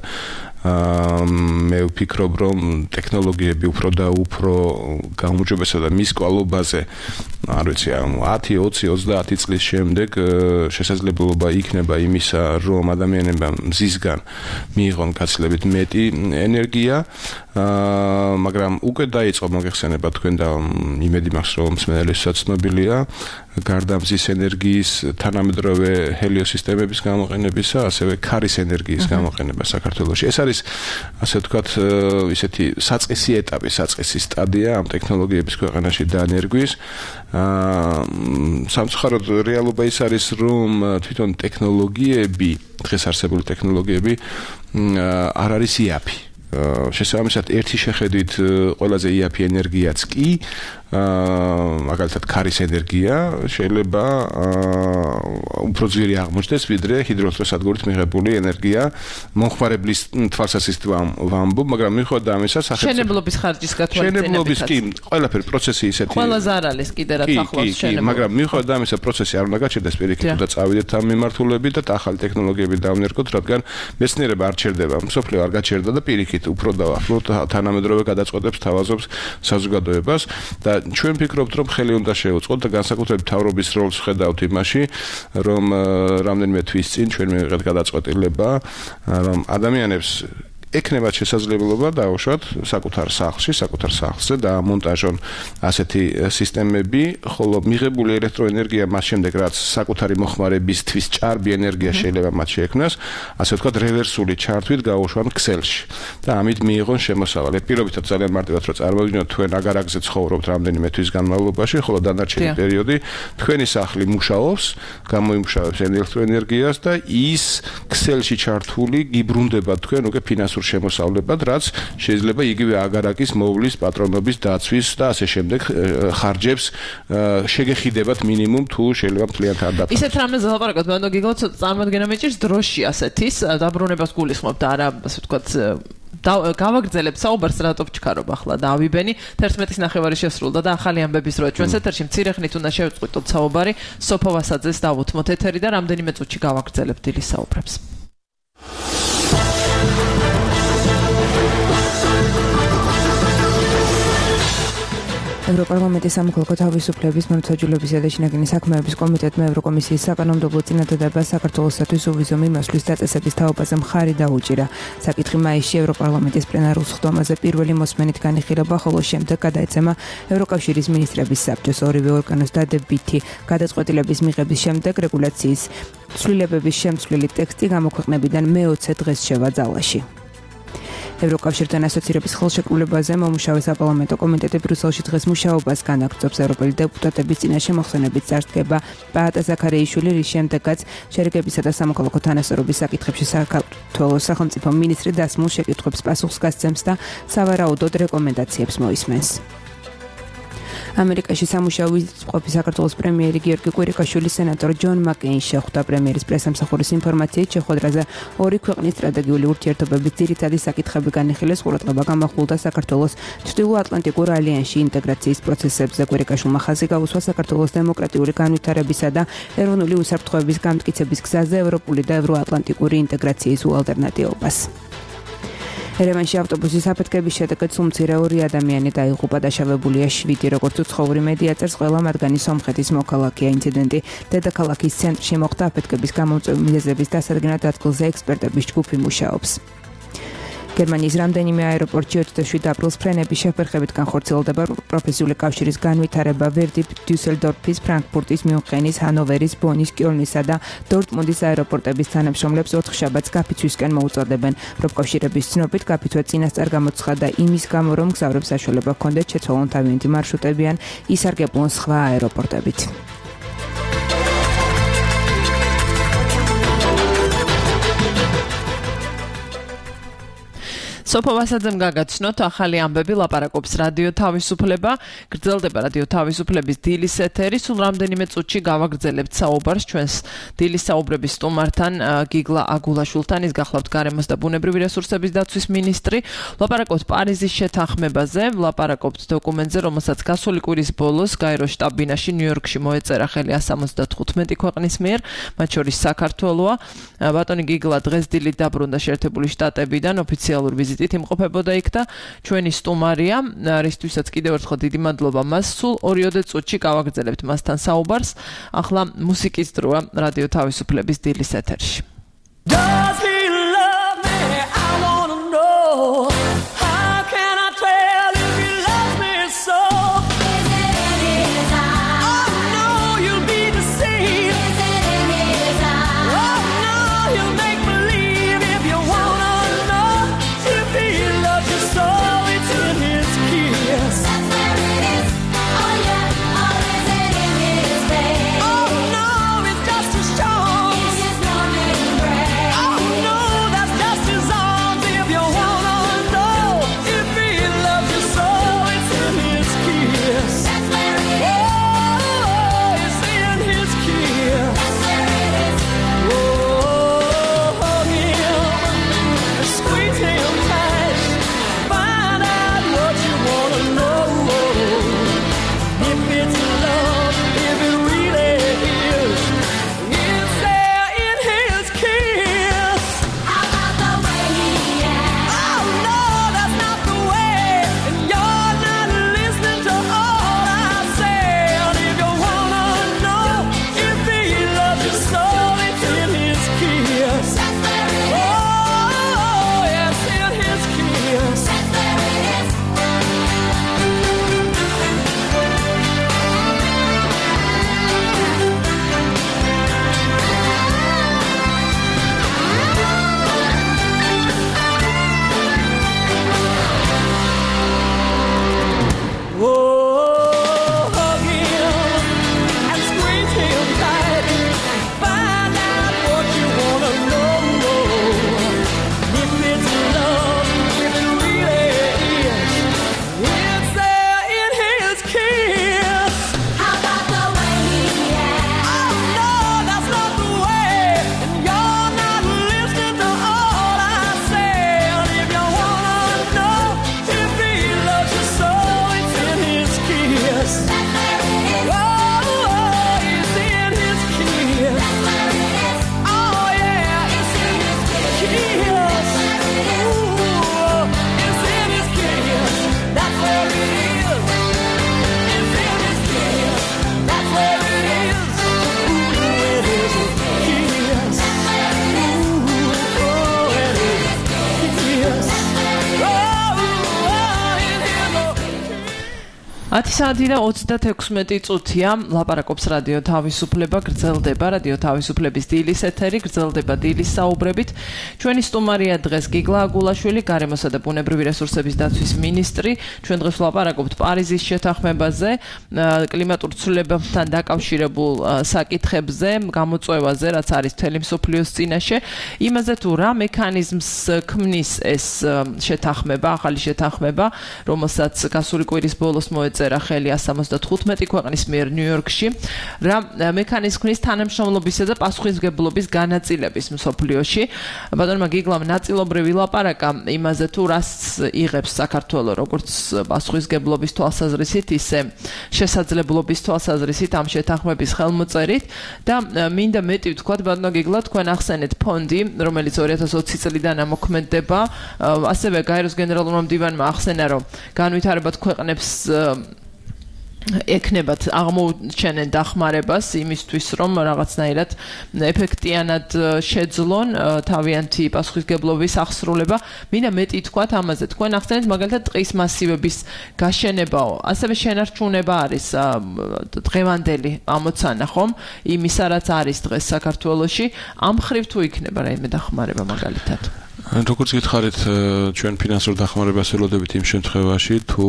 მე ვფიქრობ, რომ ტექნოლოგიები უფრო და უფრო გაუმჯობესდა და მის კვალობაზე, არ ვიცი, 10, 20, 30 წლის შემდეგ შესაძლებლობა იქნება იმისა, რომ ადამიანებმა მზისგან მიიღონ გაცილებით მეტი ენერგია, მაგრამ უკვე დაიწყო მოგეხსენება თქვენ და იმედი მაქვს, რომ მსმენელებსაც ცნობილია, გარდა მზის ენერგიის თანამედროვე ჰელიოსისტემების გამოყენებისა, ასევე ქარის ენერგიის გამოყენება საქართველოში. ეს არის, ასე ვთქვათ, ისეთი საწყისი ეტაპი, საწყისი სტადია ამ ტექნოლოგიების ქვეყანაში დანერგვის. სამწუხაროდ რეალობა ის არის, რომ თვითონ ტექნოლოგიები, დღეს არსებული ტექნოლოგიები არ არის იაფი. შესაბამისად, ერთი შეხედვით ყველაზე იაფი ენერგიაც კი მაგალითად ქარის ენერგია შეიძლება უფრო ძლიერი აღმოჩნდეს ვიდრე ჰიდროელექტროსადგურით მიღებული ენერგია მომხმარებლის თვალსაზრისით ვამბობ, მაგრამ მიუხედავად ამისა მშენებლობის ხარჯის გათვალისწინებით მშენებლობის კი ყველაფერი პროცესი ისეთი ყველაზე არ არის კიდე რაც ახლავს მშენებლობა მაგრამ მიუხედავად ამისა პროცესი არ უნდა გაჩერდეს პირიქით და წავიდეთ ამ მიმართულებით და ახალი ტექნოლოგიები დავვნერგოთ, რადგან მეცნიერება არ ჩერდება, მსოფლიო არ გაჩერდა და პირიქით უფრო დავახლოთ თანამედროვე გადაწყვეტებს თავაზობს საზოგადოებას და ჩვენ ვფიქრობთ, რომ ხელი უნდა შევუწყოთ და განსაკუთრებით მთავრობის როლს ვხედავთ იმაში, რომ რამდენიმე თვის წინ ჩვენ მივიღეთ გადაწყვეტილება, რომ ადამიანებს ეკნებათ შესაძლებლობა დაუშვათ საკუთარ სახლზე და ამონტაჟონ ასეთი სისტემები, ხოლო მიღებული ელექტროენერგია მას შემდეგ რაც საკუთარი მოხმარებისთვის ჭარბი ენერგია შეიძლება მათ შეექმნას, ასე ვთქვათ, რევერსული ჩართვით გაუშვან ქსელში და ამით მიიღონ შემოსავალი. პირობითად ძალიან მარტივად რომ წარმოვიდგინოთ, თქვენ აგარაკზე ცხოვრობთ რამდენიმე თვის განმავლობაში, ხოლო დანარჩენი პერიოდი თქვენი სახლი მუშაობს, გამოიმუშავებს ელექტროენერგიას და ის ქსელში ჩართული გიბრუნდება თქვენ უკვე ფინანსურ შემოსავლებად, რაც შეიძლება იგივე აგარაკის მოვლის, პატრონობის დაცვის და ასე შემდეგ ხარჯებს შეგეხიდებათ მინიმუმ თუ შეიძლება მთლიანად არ დაწესოთ. ისეთ რამეს ლაპარაკობთ, მანდ გიგოთ წარმოადგენა მეჭირს დროში ასეთის დაბრუნებას გულისხმობთ, არა, ასე ვთქვათ, გავაგრძელებთ საუბარს რატო ვჩქარობ ახლა და ავიბენი 11-ის ნახევარი შესრულდა და ახალი ამბების როა ჩვენს ეთერში მცირე ხნით უნდა შევწყვიტოთ საუბარი სოფო ვასაძეს დავუთმოთ ეთერი და რამდენიმე წუთში გავაგრძელებთ დილის საუბრებს. ევროპარლამენტის სამოქალაქო თავისუფლების მართლმსაჯულებისა და შინაგანი საქმეების კომიტეტმა ევროკომისიის საკანონმდებლო წინადადებას საქართველოსთვის უვიზო მიმოსვლის დაწესების თაობაზე მხარი დაუჭირა. საკითხი მაისში ევროპარლამენტის პლენარულ სხდომაზე პირველი მოსმენით განიხილება, ხოლო შემდეგ გადაეცემა ევროკავშირის მინისტრების საბჭოს ორივე ორგანოს დადებითი გადაწყვეტილების მიღების შემდეგ რეგულაციის ცვლილებების შემცვლელი ტექსტი გამოქვეყნებიდან მე-20 დღეს შევა ძალაში. ევროკავშირთან ასოცირების ხელშეკრულებაზე მომუშავე საპარლამენტო კომიტეტი ბრიუსელში დღეს მუშაობას განაგრძობს. ევროპელი დეპუტატების წინაშე მოხსენებით წარსდგება პაატა ზაქარიაშვილი, რის შემდეგაც შერიგებისა და სამოქალაქო თანასწორობის საკითხებში საქართველოს სახელმწიფო მინისტრი დასმულ შეკითხვებს პასუხს გასცემს და სავარაუდოდ რეკომენდაციებს მოისმენს. ამერიკაში სამუშაო ყოფი საქართველოს პრემიერი გიორგი კვირიკაშვილი სენატორ ჯონ მაკეინს შეხვდა. პრემიერის პრესამსახურის ინფორმაციით შეხვედრაზე ორი ქვეყნის სტრატეგიული ურთიერთობების ძირითადი საკითხები განიხილეს. ყურადღება გამახვილდა საქართველოს ჩრდილოატლანტიკურ ალიანსში ინტეგრაციის პროცესებზე. კვირიკაშვილმა ხაზი გაუსვა საქართველოს დემოკრატიული განვითარებისა და ეროვნული უსაფრთხოების გამტკიცების გზაზე ევროპული და ევროატლანტიკური ინტეგრაციის უალტერნატივობას. ერევანში ავტობუსის აფეთქების შედეგად სულ მცირე 2 ადამიანი დაიღუპა, დაშავებულია 7, როგორც უცხოური მედია წერს, ყველა მათგანი სომხეთის მოქალაქეა. ინციდენტი დედაქალაქის ცენტრში მოხდა. აფეთქების გამომწვევი მიზეზების დასადგენად ადგილზე ექსპერტების ჯგუფი მუშაობს. გერმანიის რამდენიმე აეროპორტში 27 აპრილს ფრენების შეფერხებით განხორციელდება პროფესიული კავშირის განვითარება. ვერდი დიუსელდორფის, ფრანკფურტის, მიუნხენის, ჰანოვერის, ბონის, კიოლნისა და დორტმუნდის აეროპორტების თანამშრომლებს 4 შაბათს გაფიცვისკენ მოუწოდებენ. პროფკავშირების ცნობით გაფიცვა წინასწარ გამოცხადდა იმის გამო, რომ მგზავრებს საშუალება ჰქონდეთ შეცვალონ თავიანთი მარშრუტები ან ისარგებლონ სხვა აეროპორტებით. სოფო ვასაძემ გაგაცნოთ ახალი ამბები, ლაპარაკობს რადიო თავისუფლება, გრძელდება რადიო თავისუფლების დილის ეთერი, სულ რამდენიმე წუთში გავაგრძელებთ საუბარს ჩვენს დილის საუბრების სტუმართან გიგლა აგულაშვილთან, ის გახლავთ გარემოს და ბუნებრივი რესურსების დაცვის მინისტრი. ლაპარაკობთ პარიზის შეთანხმებაზე, ლაპარაკობთ დოკუმენტზე, რომელსაც გასული კვირის ბოლოს გაეროს შტაბ-ბინაში ნიუ-იორკში მოეწერა ხელი 175 ქვეყნის მიერ, მათ შორის საქართველოა. ბატონი გიგლა დღეს დილით დაბრუნდა შეერთებული შტატებიდან ოფიციალურ ვიზიტით იმყოფებოდა იქ და ჩვენი სტუმარია, რისთვისაც კიდევ ერთხელ დიდი მადლობა მას. სულ 20 წუთში გავაგრძელებთ მასთან საუბარს. ახლა მუსიკის დროა რადიო თავისუფლების დილის ეთერში. Does he love me? I wanna know. How can I tell if he loves me so? Is it in his eyes? Oh no, you'll be deceived. Is it in his eyes? Oh no, you'll make believe if you wanna know. If he loves you so, it's in his kiss. That's where it is. Oh yeah, or is it in his face? Oh no, it's just a show. In his morning breath. Oh 10 საათი და 36 წუთია ლაპარაკობს რადიო თავისუფლება გრძელდება რადიო თავისუფლების დილის ეთერი გრძელდება დილის საუბრებით ჩვენი სტუმარია დღეს გიგლა აგულაშვილი გარემოსა და ბუნებრივი რესურსების დაცვის მინისტრი ჩვენ დღეს ვლაპარაკობთ პარიზის შეთანხმებაზე კლიმატურ ცვლილებებთან დაკავშირებულ საკითხებზე გამოწვევაზე რაც არის მთელი მსოფლიოს წინაშე იმაზე თუ რა მექანიზმს ქმნის ეს შეთანხმება ახალი შეთანხმება რომელსაც გასული კვირის ბოლოს წერა ხელი 175 ქვეყნის მიერ ნიუ-იორკში რა მექანიზმის თანამშრომლობისა და პასუხისმგებლობის განაწილების მსოფლიოში ბატონმა გიგლამ ნაწილობრივი ლაპარაკა იმაზე თუ რას იღებს საქართველოს როგორც პასუხისმგებლობის თვალსაზრისით ისე შესაძლებლობის თვალსაზრისით ამ შეთანხმების ხელმოწერით და მინდა მეტი ვთქვათ ბატონო გიგლა თქვენ ახსენეთ ფონდი რომელიც 2020 წლიდან ამოქმედდება ასევე გაეროს გენერალურმა მდივანმა ახსენა რომ განვითარებად ქვეყნებს ეკნებათ აღმოუჩენენ დახმარებას იმისთვის რომ რაღაცნაირად ეფექტიანად შეძლონ თავიანთი პასუხისმგებლობის აღსრულება. მინდა მეტი თქვათ ამაზე. თქვენ ახსენეთ მაგალითად ტყის მასივების გაშენებაო. ასევე შენარჩუნება არის დღევანდელი ამოცანა ხომ? იმისა რაც არის დღეს საქართველოში. ამ ხრივ თუ იქნება რაიმე დახმარება მაგალითად. როგორც გითხარით, ჩვენ ფინანსურ დახმარებას ველოდებით იმ შემთხვევაში, თუ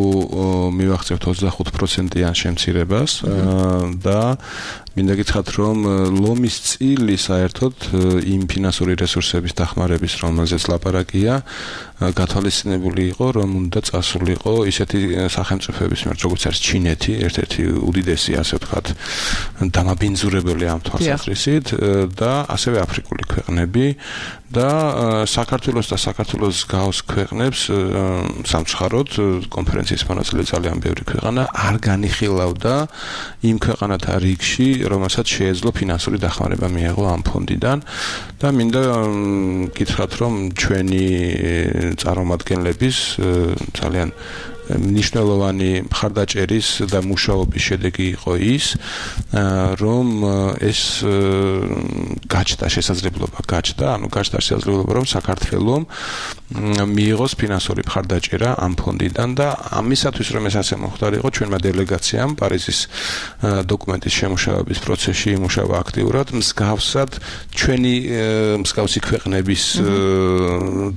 მივახცევთ 25%-იან შემცირებას და მინდა გითხრათ, რომ ლომის წილი საერთოდ იმ ფინანსური რესურსების დახმარების, რომელზეც ლაპარაკია, გათვალისწინებული იყო, რომ უნდა წასულიყო ისეთი სახელმწიფოების მიერ, როგორც არის ჩინეთი, ერთ-ერთი უდიდესი, ასე ვთქვათ, დამაბინძურებელი ამ თვალსაზრისით და ასევე აფრიკული ქვეყნები და საქართველოს და საქართველოს გავს ქვეყნებს სამცხაროდ კონფერენციის მონაწილე ძალიან ბევრი ქვეყანა არ განიხილავდა იმ ქვეყანათა რიგში, რომელსაც შეეძლო ფინანსური დახმარება მიეღო ამ ფონდიდან და მინდა გითხრათ, რომ ჩვენი წარმომადგენლების ძალიან მნიშვნელოვანი მხარდაჭერის და მუშაობის შედეგი იყო ის, რომ ეს გაჩნდა შესაძლებლობა, ანუ გაჩნდა შესაძლებლობა, რომ საქართველოს მიიღოს ფინანსური მხარდაჭერა ამ ფონდიდან და ამისათვის, რომ ეს ასე მოხდარიყო, ჩვენმა დელეგაციამ პარიზის დოკუმენტის შემუშავების პროცესში იმუშავა აქტიურად, მსგავსად ჩვენი მსგავსი ქვეყნების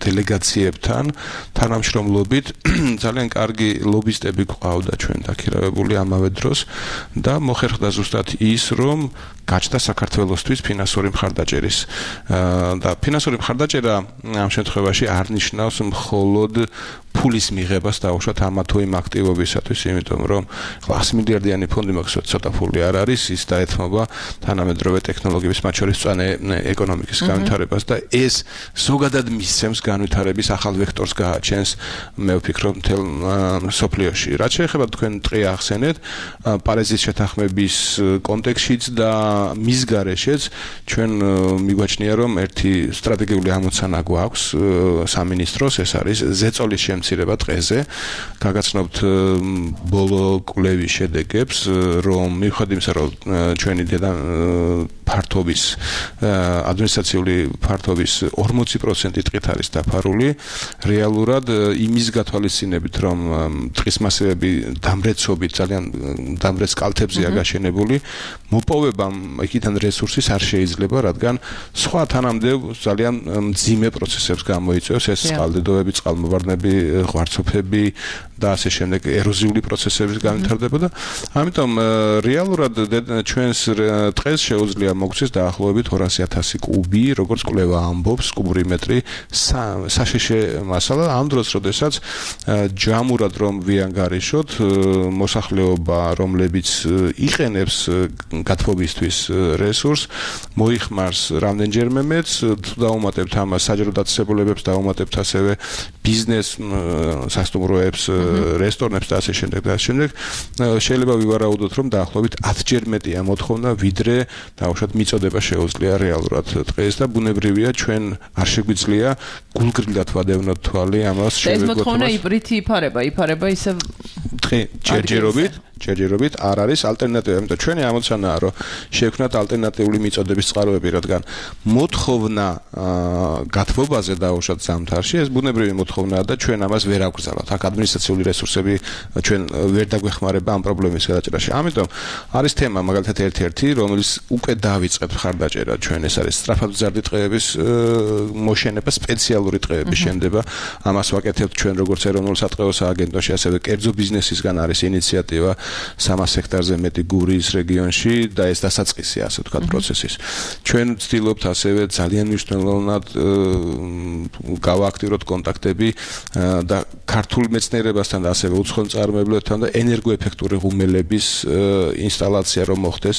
დელეგაციებთან თანამშრომლობით ძალიან კარგი ლობისტები გვყავდა ჩვენ დაქირავებული ამავე დროს და მოხერხდა ზუსტად ის, რომ გაჩნდა საქართველოსთვის ფინანსური მხარდაჭერის და ფინანსური მხარდაჭერა ამ შემთხვევაში არ ნიშნავს მხოლოდ ფულის მიღებას დაუშვათ ამა თუ იმ აქტივობისათვის, იმიტომ რომ 100 მილიარდიანი ფონდი მაქვს, ცოტა ფული არ არის, ის დაეთმობა თანამედროვე ტექნოლოგიების, მათ შორის მწვანე ეკონომიკის განვითარებას და ეს ზოგადად მისცემს განვითარების ახალ ვექტორს გააჩენს, მე ვფიქრობ, მთელ მსოფლიოში. რაც შეეხება თქვენ ტყე ახსენეთ, პარიზის შეთანხმების კონტექსტშიც და მის გარეშეც ჩვენ მიგვაჩნია, რომ ერთი სტრატეგიული ამოცანა გვაქვს სამინისტროს, ეს არის ზეწოლის შემცირება ტყეზე. გაგაცნობთ ბოლო კვლევის შედეგებს, რომ მიუხედავად იმისა, რომ ჩვენი ფართობის ადმინისტრაციული ფართობის 40% ტყით არის დაფარული, რეალურად იმის გათვალისწინებით, რომ ტყის მასივები დამრეცობით ძალიან დამრეც კალთებზეა გაშენებული, მოპოვებამ იქიდან რესურსის არ შეიძლება, რადგან სხვა თანამდებობ ძალიან მძიმე პროცესებს გამოიწვევს, ეს წყალდიდობები, წყალმოვარდნები, ღვარცოფები და ასე შემდეგ ეროზიული პროცესების განვითარდება და ამიტომ რეალურად ჩვენს ტყეს შეუძლია მოგვცეს დაახლოებით 200,000 კუბი, როგორც კვლევა ამბობს, კუბური მეტრი საშიში მასალა ამ დროს, როდესაც ჯამურად რომ ვიანგარიშოთ მოსახლეობა, რომლებიც იყენებს გათბობისთვის რესურს, მოიხმარს რამდენჯერმე მეც, თუ დაუმატებთ ამას საჯარო დაწესებულებებს, დაუმატებთ ასევე ბიზნეს სასტუმროებს, რესტორნებს და ასე შემდეგ და ასე შემდეგ, შეიძლება ვივარაუდოთ, რომ დაახლოებით 10-ჯერ მეტია მოთხოვნა, ვიდრე დაუშვათ მიწოდება შეუძლია რეალურად ტყეს და ბუნებრივია ჩვენ არ შეგვიძლია გულგრილად ვადევნოთ თვალი ამას შევეგვოთ. ეს მოთხოვნა იპრითი იფარება ისევ ტყე ჯერჯერობით ჯერჯერობით არ არის ალტერნატივა, იმიტომ ჩვენი ამოცანაა, რომ შევქმნათ ალტერნატიული მიწოდების წყაროები, რადგან მოთხოვნა გათბობაზე დაუშვათ ზამთარში, ეს ბუნებრივი მოთხოვნაა და ჩვენ ამას ვერ აგვგზავნოთ. აქ ადმინისტრაციული რესურსები ჩვენ ვერ დაგვეხმარება ამ პრობლემის გადაჭრაში. ამიტომ არის თემა მაგალითად ერთ-ერთი, რომელიც უკვე დავიწყეთ მხარდაჭერა ჩვენ, ეს არის სწრაფადმზარდი ტყეების მოშენება, სპეციალური ტყეების შენდება. ამას ვაკეთებთ ჩვენ როგორც ეროვნულ სატყეო სააგენტოში, ასევე კერძო ბიზნესისგან არის ინიციატივა 300 ჰექტარზე მეტი გურიის რეგიონში და ეს დასაწყისია, ასე ვთქვათ, პროცესის. ჩვენ ვცდილობთ ასევე ძალიან მნიშვნელოვნად გავააქტივროთ კონტაქტები და ქართულ მეცნიერებასთან და ასევე უცხოელ მწარმოებლებთან და ენერგოეფექტური ღუმელების ინსტალაცია რომ მოხდეს,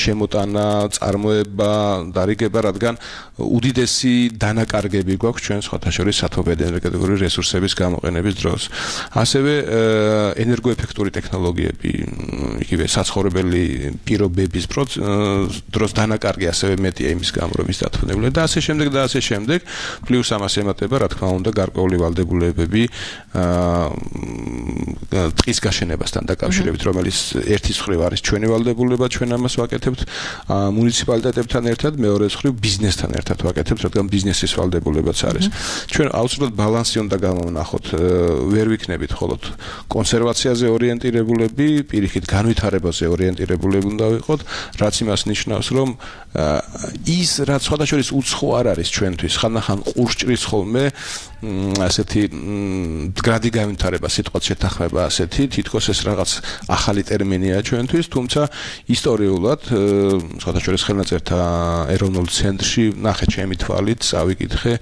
შემოტანა, წარმოება, დარიგება, რადგან უდიდესი დანაკარგები გვაქვს ჩვენ სხვათა შორის სათოფური ენერგეტიკული რესურსების გამოყენების დროს. ასევე ენერგოეფექტური ტექნოლოგიები, იგივე საცხოვრებელი პირობების დროს დანაკარგი ასევე მეტია იმის გამო, რომ ის დათვალიერებულია და ასე შემდეგ და ასე შემდეგ. პლუს ამას ემატება, რა თქმა უნდა, გარკვეული ვალდებულებები ტყის გაშენებასთან დაკავშირებით, რომელიც ერთის მხრივ არის ჩვენი ვალდებულება, ჩვენ ამას ვაკეთებთ მუნიციპალიტეტებთან ერთად, მეორე მხრივ ბიზნესთან ერთად ვაკეთებთ, რადგან ბიზნესის ვალდებულებაც არის. ჩვენ აუცილებლად ბალანსი უნდა გამოვნახოთ, ვერ ვიქნებით მხოლოდ კონსერვაციაზე ორიენტირებულები, პირიქით განვითარებაზე ორიენტირებულები უნდა ვიყოთ, რაც იმას ნიშნავს, რომ ის რაც სხვათა შორის უცხო არ არის ჩვენთვის, ხანდახან ყურსჭრის ხოლმე ასეთი მდგრადი განვითარება, სიტყვათ შეთანხმება ასეთი, თითქოს ეს რაღაც ახალი ტერმინია ჩვენთვის, თუმცა ისტორიულად სხვათა შორის ხელნაწერთა ეროვნულ ცენტრში ნახე ჩემი თვალით, წავიკითხე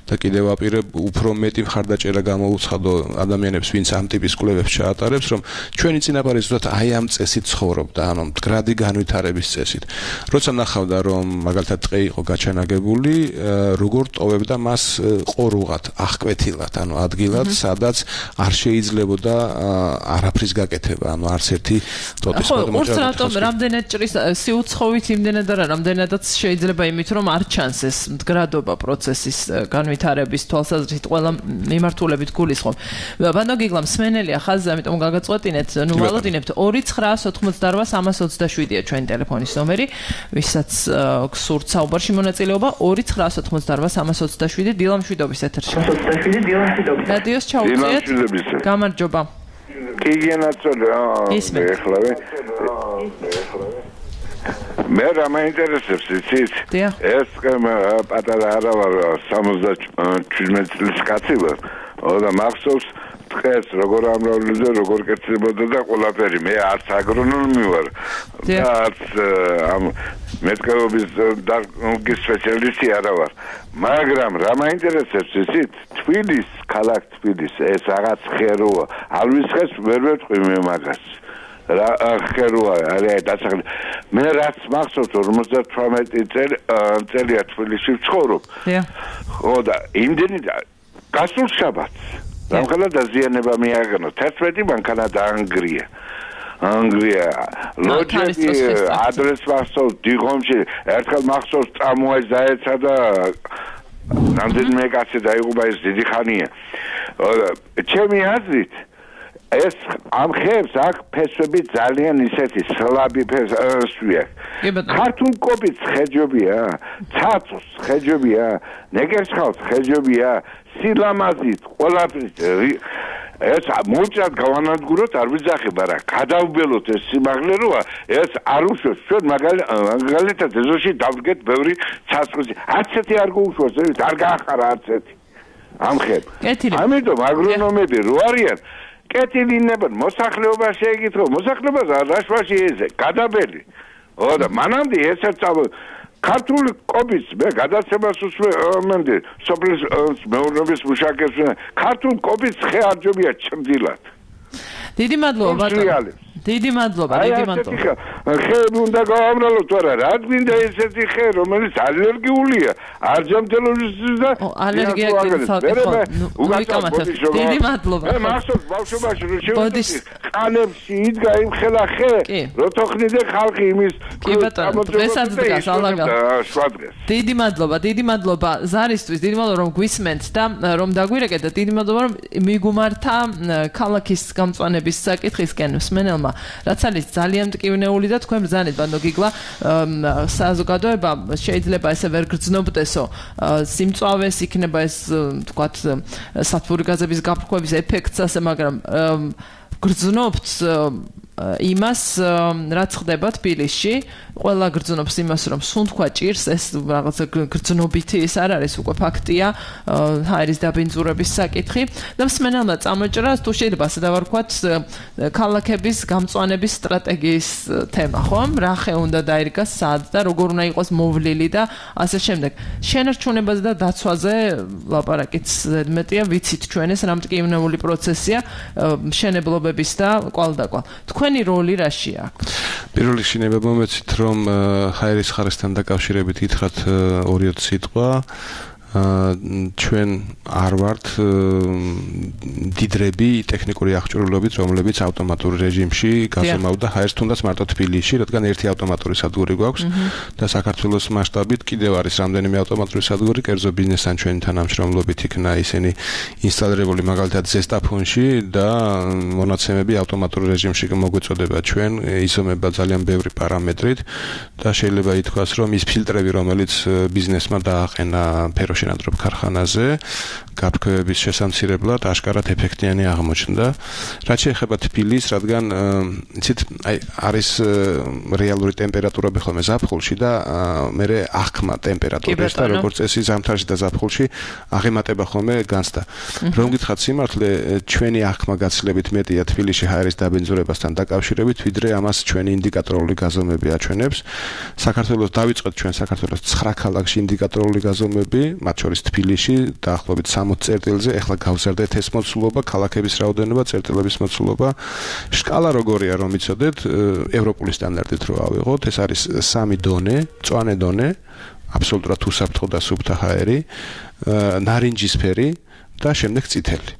და კიდევ ვაპირებ უფრო მეტი მხარდაჭერა გამოუცხადო ადამიანებს, ვინც ამ ტიპის კვლევებს ჩაატარებს, რომ ჩვენი წინაპარი ზუსტად აი ამ წესით ცხოვრობდა, ანუ მდგრადი განვითარების წესით. როცა ნახავდა, რომ მაგალითად ტყე იყო გაჩანაგებული, როგორ ტოვებდა მას ყორუღად, აღკვეთილად, ანუ ადგილად, სადაც არ შეიძლებოდა არაფრის გაკეთება, ანუ არც ერთი ტოტის მოწმობა. რატომ რამდენად ჭრის სიუცხოვით იმდენად არა, რამდენადაც შეიძლება იმით, რომ არ ჩანს ეს მდგრადობა პროცესის განვითარების თვალსაზრისით ყველა მიმართულებით გულისხმობ. ბანო გიგლა მსმენელია ხაზზე, ამიტომ გაგაწყვეტინეთ, ნუ ვალოდინებთ 2988327-ია ჩვენი ტელეფონის ნომერი, ვისაც გსურთ საუბარში მონაწილეობა 2988327 დილამშვიდობის ეთერში. რადიოს ჩაუწიეთ. გამარჯობა. კი გენაცოლა. ეხლავე. მე რა მაინტერესებს იცით? ეს პატარა არა ვარ 77 წლის კაცი ვარ. და მახსოვს დღეს როგორ ამრავლებდა, როგორ კეთდებოდა და ყველაფერი. მე არც აგრონომი ვარ და არც ამ მეტყევების დარგის სპეციალისტი არა ვარ. მაგრამ რა მაინტერესებს იცით? თბილის, ქალაქ თბილის ეს რაღაც ხეროა. ალვისხეს ვერ ვეთყვი მე მაგას. რა ხეროა, არის დასახელი. მე რაც მახსოვს 58 წელია თბილისში ვცხოვრობ. ხო და იმდენი გასულ შაბათს რამხელა დაზიანება მიაგნო 11 მანქანა დაანგრია. ლოჯები ადრეს მახსოვს დიღომში ერთხელ მახსოვს ტრამვაი დაეცა და რამდენიმე კაცი დაიღუპა, ეს დიდი ხანია. ჩემი აზრით ეს ამ ხეებს აქ ფესვები ძალიან ისეთი სლაბი ფესვია. ქართულ კოპიც ხეჯობია, ცაცოს ხეჯობია, ნეგერცხალს ხეჯობია, სილამაზით, ყველაფრის ეს მოჭად გავანადგუროთ, არ ვიძახებ, არა, გადავბელოთ ეს სიმაღლე როა, ეს არ უშვებს ჩვენ მაგალითად ეზოში დავდგეთ ბევრი ცაცხვისი. არცეთი არ გუშვებს, არ გაახარა არცეთი. ამ ხებ. ამიტომ აგრონომები რო არიან კეთილინებენ მოსახლეობა შეეკითხო, მოსახლეობას რაშვაში ეზე, გადაბელი. და მანამდე ესეც ქართული კობის მე გადაცემას უსმენდი სოფლის მეურნეობის მუშაკებს ქართულ კობის ხე არჯობია ჭრდილად. დიდი მადლობა ბატონო. დიდი მადლობა. ხეები უნდა გავამრალოთ, არა, რა გვინდა ესეთი ხე, რომელიც ალერგიულია, არჯამთელობის და ალერგია დიდი მადლობა. მე მახსოვს ბავშვობაში რომ შევედი ყანებში იდგა იმ ხელა ხე, რო თოხნიდე ხალხი იმის კი ბატონო, დღესაც დგას ალაგა. დიდი მადლობა ზარისთვის, დიდი მადლობა რომ გვისმენთ და რომ დაგვირეკეთ და დიდი მადლობა რომ მიგუმართა ქალაქის გამწვანების საკითხისკენ მსმენელმა. რაც არის ძალიან მტკივნეული და თქვენ ბრძანეთ ბანდო გიგლა საზოგადოება შეიძლება ესე ვერ გრძნობდესო სიმწვავეს იქნება ეს თქვათ სათბური გაზების გაფრქვევის ეფექტს ასე მაგრამ გრძნობთ იმას რაც ხდება თბილისში ყველა გრძნობს იმას რომ სუნთქვა ჭირს ეს რაღაცა გრძნობითი ის არ არის უკვე ფაქტია ჰაერის დაბინძურების საკითხი და მსმენელმა წამოჭრა თუ შეიძლება ასე დავარქვათ ქალაქების გამწვანების სტრატეგიის თემა ხომ რა ხე უნდა დაირგას სად და როგორ უნდა იყოს მოვლილი და ასე შემდეგ შენარჩუნებაზე და დაცვაზე ლაპარაკიც ზედმეტია ვიცით ჩვენ ეს რამტკივნეული პროცესია მშენებლობების და კვალდაკვალ თქვენი როლი რაში აქვს პირველ რიგში ნება მომეცით რომ ჰაერის ხარისთან დაკავშირებით გითხრათ 2 სიტყვა ჩვენ არ ვართ დიდრები ტექნიკური აღჭურვილობით რომლებიც ავტომატურ რეჟიმში გაზომავდა ჰაერს თუნდაც მარტო თბილისში რადგან ერთი ავტომატური სადგური გვაქვს და საქართველოს მასშტაბით კიდევ არის რამდენიმე ავტომატური სადგური კერძო ბიზნესთან ჩვენი თანამშრომლობით იქნა ისინი ინსტალირებული მაგალითად ზესტაფონში და მონაცემები ავტომატურ რეჟიმში მოგვეწოდება ჩვენ იზომება ძალიან ბევრი პარამეტრით და შეიძლება ითქვას რომ ის ფილტრები რომელიც ბიზნესმა დააყენა შენადრობ ქარხანაზე გაფრქვევების შესამცირებლად აშკარად ეფექტიანი აღმოჩნდა. რაც შეეხება თბილისს, რადგან იცით, არის რეალური ტემპერატურები ხოლმე ზაფხულში და მერე აღქმა ტემპერატურის და როგორც წესი ზამთარში და ზაფხულში აღემატება ხოლმე განცდა. რომ გითხრათ სიმართლე, ჩვენი აღქმა გაცილებით მეტია თბილისში ჰაერის დაბინძურებასთან დაკავშირებით, ვიდრე ამას ჩვენი ინდიკატორული გაზომვები აჩვენებს. საქართველოს დავიწყეთ ჩვენ საქართველოს 9 ქალაქში ინდიკატორული გაზომვები მათ შორის თბილისში დაახლოებით 60 წერტილზე, ახლა გავზარდეთ ეს მოცულობა, ქალაქების რაოდენობა, წერტილების მოცულობა. სკალა როგორია, რომ იცოდეთ, ევროპული სტანდარტით რო ავიღოთ, ეს არის 3 დონე, მწვანე დონე, აბსოლუტურად უსაფრთხო და სუფთა ჰაერი, ნარინჯისფერი და შემდეგ წითელი.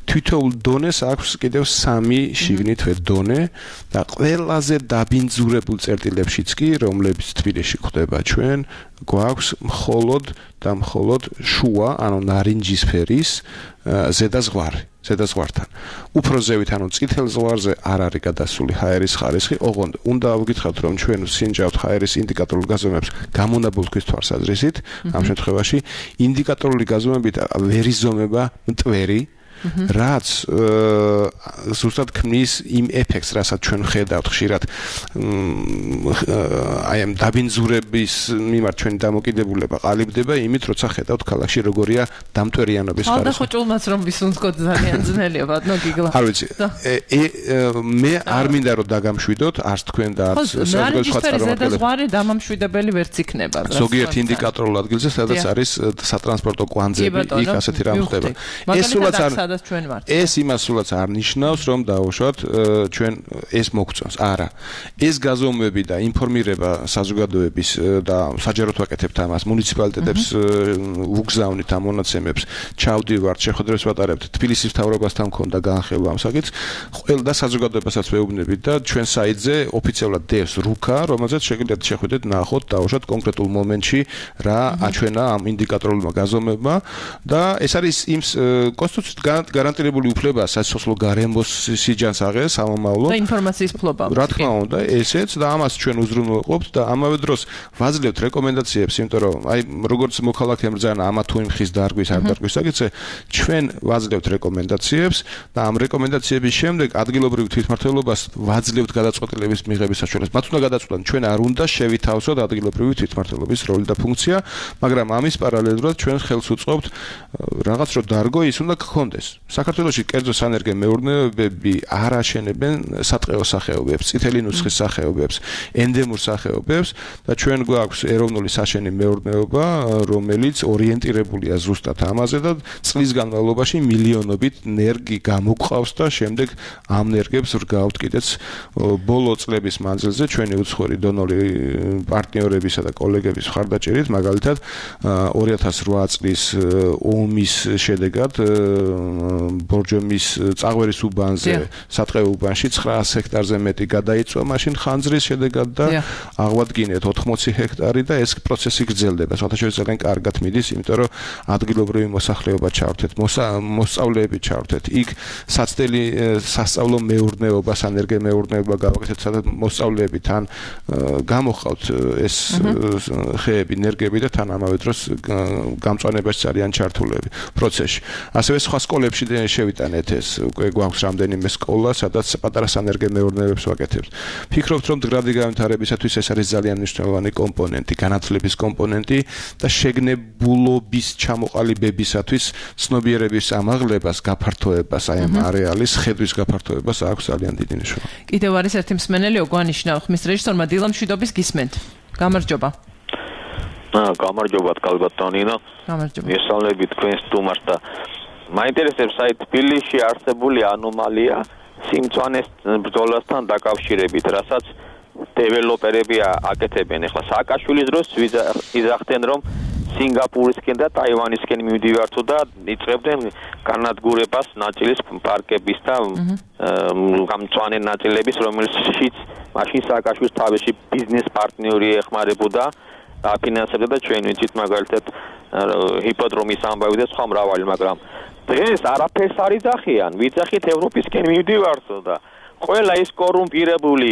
თითოეულ დონეს აქვს კიდევ 3 შიგნით დონე და ყველაზე დაბინძურებულ წერტილებშიც კი, რომლებიც თბილისში ხდება ჩვენ, გვაქვს მხოლოდ და მხოლოდ შუა, ანუ ნარინჯისფერის ზედა ზღვართან. უფრო ზევით, ანუ წითელ ზღვარზე არ არის გადასული ჰაერის ხარისხი, ოღონდ უნდა ვგითხრათ, რომ ჩვენ სინჯავთ ჰაერის ინდიკატორულ გაზომვებს გამონაბოლქვის თვალსაზრისით, ამ შემთხვევაში ინდიკატორული გაზომვებით ვერ იზომება მტვერი რაც ზუსტად ქმნის იმ ეფექტს, რასაც ჩვენ ხედავთ ხშირად აი ამ დაბინძურების მიმართ ჩვენი დამოკიდებულება ყალიბდება იმით, როცა ხედავთ ქალაქში როგორია დამტვერიანობის ხარისხი. ხალხო ჭულმაც რომ ვისუნთქოთ ძალიან ძნელია, ბატონო გიგლა. არ ვიცი. მე არ მინდა რომ დაგამშვიდოთ, არც თქვენ და არც საზოგადოების სხვა წარმომადგენლები. ზღვარი დამამშვიდებელი ვერც იქნება. ზოგიერთ ინდიკატორულ ადგილზე, სადაც არის სატრანსპორტო კვანძები, იქ ასეთი რამ ხდება. ეს სულაც არ ეს იმას სულაც არ ნიშნავს, რომ დაუშვათ ჩვენ ეს მოგწონს. არა. ეს გაზომვები და ინფორმირება საზოგადოების და საჯაროდ ვაკეთებთ ამას, მუნიციპალიტეტებს ვუგზავნით ამ მონაცემებს, ჩავდივართ, შეხვედრებს ვატარებთ, თბილისის მთავრობასთან მქონდა განხილვა ამ საკითხს. ყველა და საზოგადოებასაც ვეუბნებით და ჩვენ საიტზე ოფიციალურად დევს რუკა, რომელზეც შეგიძლიათ შეხვიდეთ, ნახოთ, დაუშვათ კონკრეტულ მომენტში რა აჩვენა ამ ინდიკატორულმა გაზომვებმა და ეს არის იმ კონსტიტუციით გარანტირებული უფლება სასიცოცხლო გარემოს სიჯანს აღეს ამომავლო და ინფორმაციის ფლობა. რა თქმა უნდა, ესეც და ამას ჩვენ უზრუნველყოფთ და ამავე დროს ვაძლევთ რეკომენდაციებს, იმიტომ რომ აი როგორც მოქალაქე მბრძანა ამა თუ იმ ხის დარგვის არ დარგვის საკითხზე, ჩვენ ვაძლევთ რეკომენდაციებს და ამ რეკომენდაციების შემდეგ ადგილობრივ თვითმმართველობას ვაძლევთ გადაწყვეტილების მიღების საშუალებას. მათ უნდა გადაწყვეტონ, ჩვენ არ უნდა შევითავსოთ ადგილობრივი თვითმმართველობის როლი და ფუნქცია, მაგრამ ამის პარალელურად ჩვენ ხელს უწყობთ რაღაც რო დარგო ის უნდა გქონდეს. საქართველოში კერძო სანერგე მეურნეობები არ აშენებენ სატყეო სახეობებს, წითელი ნუსხის სახეობებს, ენდემურ სახეობებს და ჩვენ გვაქვს ეროვნული საშენი მეურნეობა, რომელიც ორიენტირებულია ზუსტად ამაზე და წლის განმავლობაში მილიონობით ნერგი გამოგყავს და შემდეგ ამ ნერგებს რგავთ კიდეც ბოლო წლების მანძილზე ჩვენი უცხოური დონორი პარტნიორებისა და კოლეგების მხარდაჭერით, მაგალითად 2008 წლის ომის შედეგად ბორჯომის წაღვერის უბანზე, სატყეო უბანში 900 ჰექტარზე მეტი გადაიწვა, მაშინ ხანძრის შედეგად და აღვადგინეთ 80 ჰექტარი და ეს პროცესი გრძელდება. საერთოდ ძალიან კარგად მიდის, იმიტომ რომ ადგილობრივი მოსახლეობა ჩავრთეთ, მოსწავლეები ჩავრთეთ. იქ საცდელი სასწავლო მეურნეობას, ენერგემეურნეობა გავაკეთეთ, სადაც მოსწავლეები თან გამოხავთ ეს ხეები, ენერგები და თან ამავე დროს გამწვანებაში ძალიან ჩართულები პროცესში. ასევე სხვა სკოლებში შევიტანეთ ეს, უკვე გვაქვს რამდენიმე სკოლა, სადაც პატარა სანერგემეურნეობებს ვაკეთებთ. ფიქრობთ, რომ მდგრადი განვითარებისათვის ეს არის ძალიან მნიშვნელოვანი კომპონენტი, განათლების კომპონენტი და შეგნებულობის ჩამოყალიბებისათვის ცნობიერების ამაღლებას, გაფართოებას, აი ამ არეალის ხედვის გაფართოებას აქვს ძალიან დიდი მნიშვნელობა. კიდევ არის ერთი მსმენელი, ოგვანიშნა ხმის რეჟისორმა დილამ მშვიდობის გისმენთ. გამარჯობა. გამარჯობა კალბატონინო. გამარჯობა. მისავლები თქვენს სტუმარს და მაინტერესებს აი თბილისში არსებული ანომალია სიმწვანეს ბრძოლასთან დაკავშირებით, რასაც დეველოპერები აკეთებენ. ახლა სააკაშვილის დროს იზახდნენ, რომ სინგაპურისკენ და ტაივანისკენ მივდივართო და იწყებდნენ განადგურებას ნაწილის პარკების და გამწვანე ნაწილების, რომელშიც მაშინ სააკაშვილის თავისი ბიზნეს პარტნიორი ეხმარებოდა აფინანსებდა და ჩვენ ვიცით მაგალითად ჰიპოდრომის ამბავი და სხვა მრავალი, მაგრამ დღეს არაფერს არ იძახიან, ვიძახით ევროპისკენ მივდივართო და ყველა ის კორუმპირებული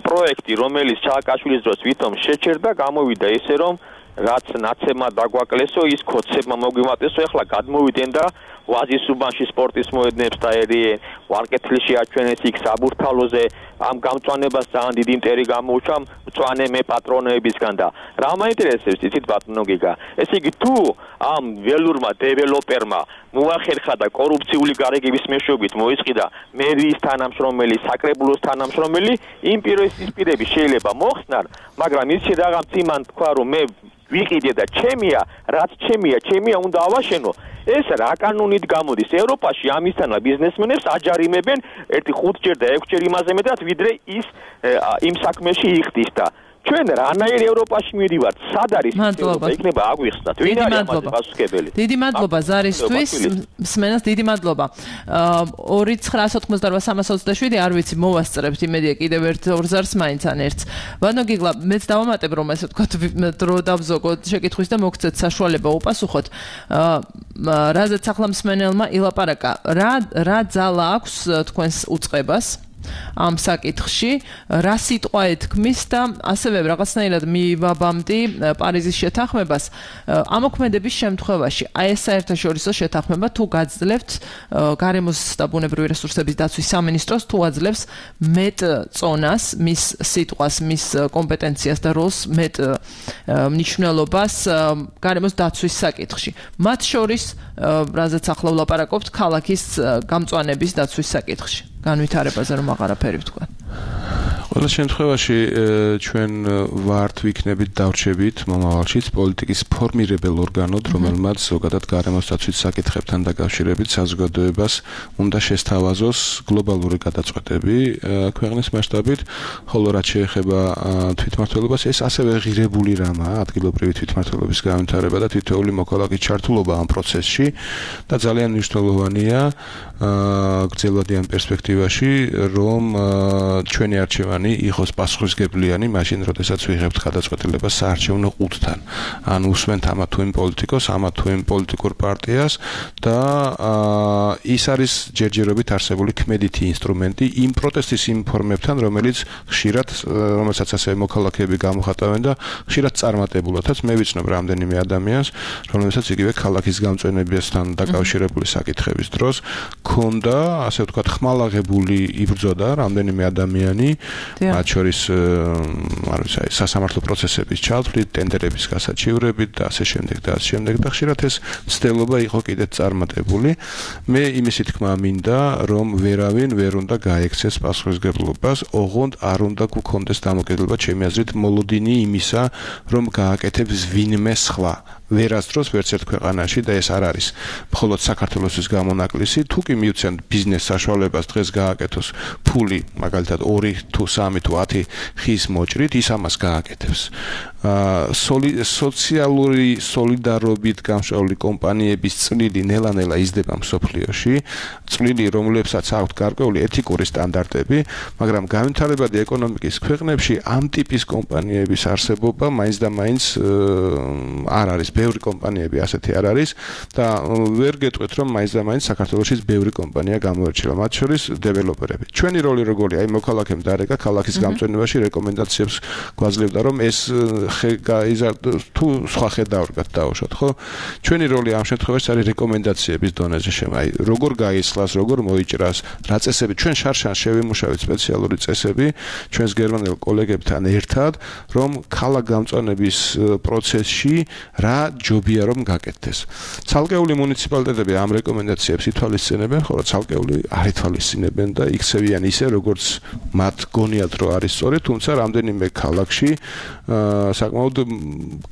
პროექტი, რომელიც სააკაშვილის დროს ვითომ შეჩერდა, გამოვიდა ისე, რომ რაც ნაცემად დაგვაკლესო, ის ქოცებმა მოგვიმატესო, ახლა გადმოვიდნენ და ვაზის უბანში სპორტის მოედნებს დაერიენ, ვარკეთილში აჩვენეს იქ საბურთალოზე, ამ გამწვანებას ძალიან დიდი მტერი გამოუჩა მწვანე მე პატრონებისგან და რა მაინტერესებს იცით ბატონო გიგა, ესე იგი თუ ამ ველურმა დეველოპერმა მოახერხა და კორუფციული გარეგების მეშვეობით მოისყიდა მერიის თანამშრომელი, საკრებულოს თანამშრომელი, იმ პირისპირები შეიძლება მოხსნან, მაგრამ ის რაღაც იმან თქვა რომ მე ვიყიდე და ჩემია, რაც ჩემია უნდა ავაშენო. ეს რა კანონით გამოდის? ევროპაში ამისთანა ბიზნესმენებს აჯარიმებენ 1-5 და 6 იმაზე მეტად, ვიდრე ის იმ საქმეში იხდის და ჩვენ რანაირ ევროპაში მივდივართ? სად არის ევროპა? იქნება აგვიხსნათ. ვინ არის ამაზე პასუხებელი? დიდი მადლობა ზარისთვის, მსმენელს დიდი მადლობა. 2-988-327 არ ვიცი, მოვასწრებთ იმედია კიდევ ერთ 2 ზარს მაინც ან ერთს. ბანო გიგლა, მეც დავამატებ რომ ესე ვთქვათ დრო დავზოგოთ შეკითხვის და მოგცეთ საშუალება უპასუხოთ. რაზეც ახლა მსმენელმა ილაპარაკა, რა ძალა აქვს თქვენს უწყებას ამ საკითხში, რა სიტყვა ეთქმის და ასევე რაღაცნაირად მივაბამდი პარიზის შეთანხმებას ამოქმედების შემთხვევაში. აი ეს საერთაშორისო შეთანხმება თუ გაძლევთ გარემოს და ბუნებრივი რესურსების დაცვის სამინისტროს თუ აძლევს მეტ წონას, მის სიტყვას, მის კომპეტენციას და როლს მეტ მნიშვნელობას გარემოს დაცვის საკითხში. მათ შორის, რაზეც ახლა ვლაპარაკობთ, ქალაქის გამწვანების დაცვის საკითხში. განვითარებაზე რომ აღარაფერი ვთქვა. ყველა შემთხვევაში ჩვენ ვართ ვიქნებით დავრჩებით მომავალშიც პოლიტიკის ფორმირებელ ორგანოდ, რომელმაც ზოგადად გარემოს დაცვის საკითხებთან დაკავშირებით საზოგადოებას უნდა შესთავაზოს გლობალური გადაწყვეტები ქვეყნის მასშტაბით, ხოლო რაც შეეხება თვითმმართველობას, ეს ასევე ღირებული რამაა, ადგილობრივი თვითმმართველობის განვითარება და თითოეული მოქალაქის ჩართულობა ამ პროცესში და ძალიან მნიშვნელოვანია გრძელვადიან პერსპექტივაში, რომ ჩვენი არჩევანი იყოს პასუხისმგებლიანი მაშინ, როდესაც ვიღებთ გადაწყვეტილებას საარჩევნო ყუთთან. ან უსმენთ ამა თუ იმ პოლიტიკოს, ამა თუ იმ პოლიტიკურ პარტიას და ის არის ჯერჯერობით არსებული ქმედითი ინსტრუმენტი იმ პროტესტის იმ ფორმებთან, რომელსაც ასევე მოქალაქეები გამოხატავენ და ხშირად წარმატებულადაც მე ვიცნობ რამდენიმე ადამიანს, რომელსაც იგივე ქალაქის გამწვენებასთან დაკავშირებული საკითხების დროს ქონდა, ასე ვთქვათ, ხმალაღებული იბრძოდა რამდენიმე ადამიანი, მათ შორის სასამართლო პროცესების ჩათვლით, ტენდერების გასაჩივრებით და ასე შემდეგ და ხშირად ეს მცდელობა იყო კიდეც წარმატებული. მე იმისი თქმა მინდა, რომ ვერავინ ვერ უნდა გაექცეს პასუხისმგებლობას, ოღონდ არ უნდა გქონდეს დამოკიდებულება ჩემი აზრით მოლოდინი იმისა, რომ გააკეთებს ვინმე სხვა. ვერასდროს ვერც ერთ ქვეყანაში და ეს არ არის მხოლოდ საქართველოსთვის გამონაკლისი, თუ კი მივცემ ბიზნეს საშუალებას დღეს გააკეთოს ფული, მაგალითად 2 თუ 3 თუ 10 ხის მოჭრით, ის ამას გააკეთებს. სოციალური სოლიდარობით გამშრალული კომპანიების წვლილი ნელა-ნელა იზრდება მსოფლიოში, წვლილი, რომლებსაც აქვთ გარკვეული ეთიკური სტანდარტები, მაგრამ განვითარებადი ეკონომიკის ქვეყნებში ამ ტიპის კომპანიების არსებობა მაინც და მაინც არ არის, ბევრი კომპანიები ასეთი არ არის და ვერ გეტყვით, რომ მაინც და მაინც საქართველოშიც ბევრი კომპანია გამოირჩევა, მათ შორის დეველოპერები. ჩვენი როლი როგორია? აი მოქალაქემ დარეკა ქალაქის გამწვენებაში რეკომენდაციებს გვაძლევდა, რომ ეს თუ სხვა ხედავთ დაუშვათ, ხო? ჩვენი როლი ამ შემთხვევაში არის რეკომენდაციების დონეზე აი როგორ გაისხლას, როგორ მოიჭრას, რა წესები ჩვენ შარშან შევიმუშავეთ სპეციალური წესები ჩვენს გერმანელ კოლეგებთან ერთად, რომ ქალაქ გამწვანების პროცესში რა ჯობია რომ გაკეთდეს. ცალკეული მუნიციპალიტეტები ამ რეკომენდაციებს ითვალისწინებენ, ხოლო ცალკეული არ ითვალისწინებენ და იქცევიან ისე, როგორც მათ გონიათ, რომ არის სწორი, თუმცა რამდენიმე ქალაქში საკმაოდ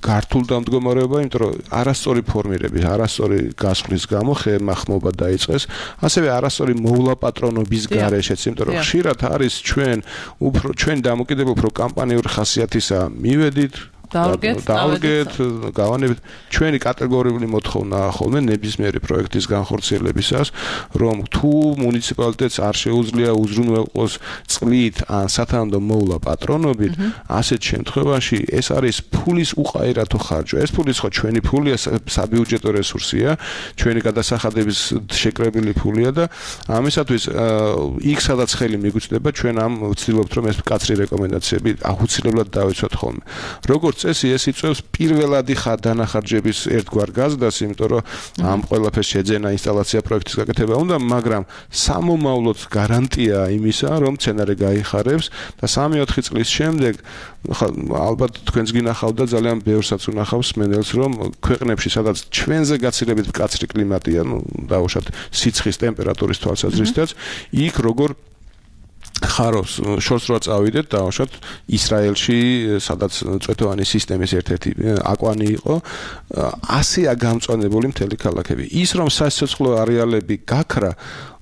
გართულ დამდგომარეობა, იმიტომ რომ არასწორი ფორმირების, არასწორი გასვლის გამო ხემახმობა დაიწყეს, ასევე არასწორი მოვლაპატრონობის გარეშეც, იმიტომ რომ ხშირად არის ჩვენ დამოკიდებულ უფრო კამპანიური ხასიათისა მივედით დავდგეთ, გავანებით. ჩვენი კატეგორიული მოთხოვნაა ხოლმე ნებისმიერი პროექტის განხორციელებისას, რომ თუ მუნიციპალიტეტს არ შეუძლია უზრუნველყოს წყლით ან სათანადო მოვლა პატრონობით, ასეთ შემთხვევაში ეს არის ფულის უყაერათო ხარჯვა. ეს ფული ხო ჩვენი ფულია, საბიუჯეტო რესურსია, ჩვენი გადასახადების შეკრებილი ფულია და ამისათვის იქ სადაც ხელი მიგვიწვდება, ჩვენ ამ ვცდილობთ, რომ ეს კაცრი რეკომენდაციები აუცილებლად დავიცვათ ხოლმე. როგორც წესი ეს იწვევს პირველადი დანახარჯების ერთგვარ გაზრდას, იმიტომ რომ ამ ყველაფერს შეძენა ინსტალაცია პროექტის გაკეთება უნდა, მაგრამ სამომავლოდ გარანტია იმისა, რომ მცენარე გაიხარებს და 3-4 წლის შემდეგ ალბათ თქვენს გინახავდა ძალიან ბევრსაც უნახავს მენელს, რომ ქვეყნებში სადაც ჩვენზე გაცილებით მკაცრი კლიმატია, დაუშვათ სიცხის ტემპერატურის თვალსაზრისითაც, იქ როგორ ხარობს შორს რა წავიდეთ დაუშვათ ისრაელში, სადაც წვეთოვანი სისტემის ერთ-ერთი აკვანი იყო, ასეა გამწვანებული მთელი ქალაქები. ის რომ სასიცოცხლო არეალები გაქრა,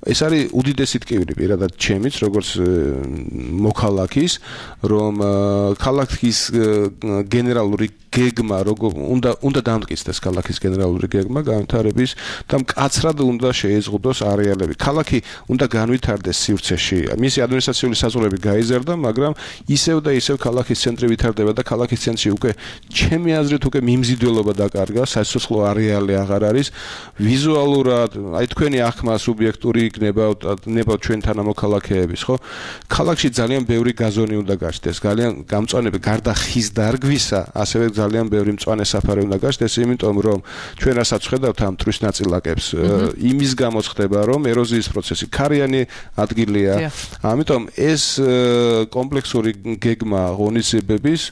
ეს არის უდიდესი ტკივილი პირადად ჩემიც, როგორც მოქალაქის, რომ ქალაქის გენერალური გეგმა, უნდა დამტკიცდეს ქალაქის გენერალური გეგმა განვითარების და მკაცრად უნდა შეეზღუდოს არეალები. ქალაქი უნდა განვითარდეს სივრცეში. მისი ადმინისტრაციული საზღვრები გაიზარდა, მაგრამ ისევ და ისევ ქალაქის ცენტრი ვითარდება და ქალაქის ცენტრში უკვე ჩემი აზრით უკვე მიმზიდველობა დაკარგა, სასიცოცხლო არეალი აღარ არის. ვიზუალურად, აი თქვენი ახმა სუბიექტური იქნება ჩვენ თანამოქალაქეების, ხო? ქალაქში ძალიან ბევრი გაზონი უნდა გაჩნდეს, ძალიან გამწვანები გარდა ხის დარგვისა, ასევე ძალიან ბევრი მწვანე საფარი უნდა გაჩნდეს, იმიტომ რომ ჩვენ რასაც ხედავთ ამ მტრის ნაწილაკებს, იმის გამო ხდება, რომ ეროზიის პროცესი ქარიანი ადგილია. ამიტომ ეს კომპლექსური გეგმა ღონისძიებების,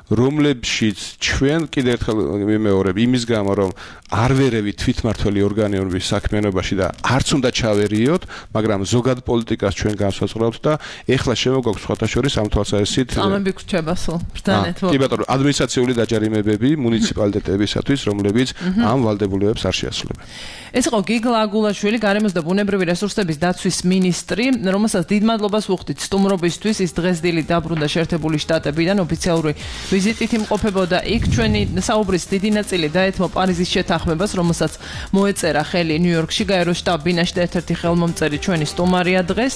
რომლებშიც ჩვენ კიდევ ერთხელ ვიმეორებ, იმის გამო რომ არ ვერევით თვითმართველი ორგანოების საქმიანობაში და არც უნდა ჩავერიოთ, მაგრამ ზოგად პოლიტიკას ჩვენ განსაზღვრავთ და ეხლა შემოგვაქვს სხვათა შორის ამ თვალსაზრისით წამები გრჩება სულ ბრძანეთ. კი ბატონო, ადმინისტრაციული დაჯარიმებები მუნიციპალიტეტებისათვის, რომლებიც ამ ვალდებულებებს არ შეასრულებენ. ეს იყო გიგლა აგულაშვილი, გარემოს და ბუნებრივი რესურსების დაცვის მინისტრი, რომელსაც დიდ მადლობას ვუხდით სტუმრობისთვის. ის დღეს დილით დაბრუნდა შეერთებული შტატებიდან, ოფიციალური ვიზიტით იმყოფებოდა იქ. ჩვენი საუბრის დიდი ნაწილი დაეთმო პარიზის შეთანხმებას, რომელსაც მოეწერა ხელი ნიუ-იორკში, გაეროს შტაბ-ბინაში და ერთ-ერთი ხელმომწერი ჩვენი სტუმარია დღეს.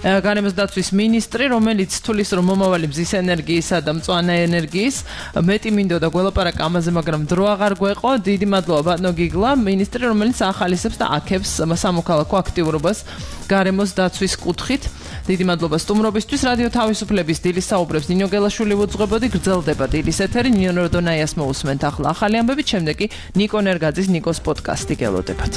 გარემოს დაცვის მინისტრი, რომელიც თulis რომ მომავალი მზის ენერგიისა და მწვანე ენერგიის მეტი მინდოდა გველაპარაკა ამაზე, მაგრამ დრო აღარ გვეყო. დიდი მადლობა ბატონო გიგლა, მინისტრი, რომელიც ახალისებს და აქებს სამოქალაქო აქტიურობას გარემოს დაცვის კუთხით. დიდი მადლობა სტუმრობისთვის. რადიო თავისუფლების დილის საუბრებს ნინო გელაშვილი უძღვებოდი. გრძელდება დილის ეთერი. ნინო როდონაიას მოусმენთ ახლა ახალი ამბები, შემდეგ კი ნიკო ნერგაძის ნიკოს პოდკასტი გელოდებათ.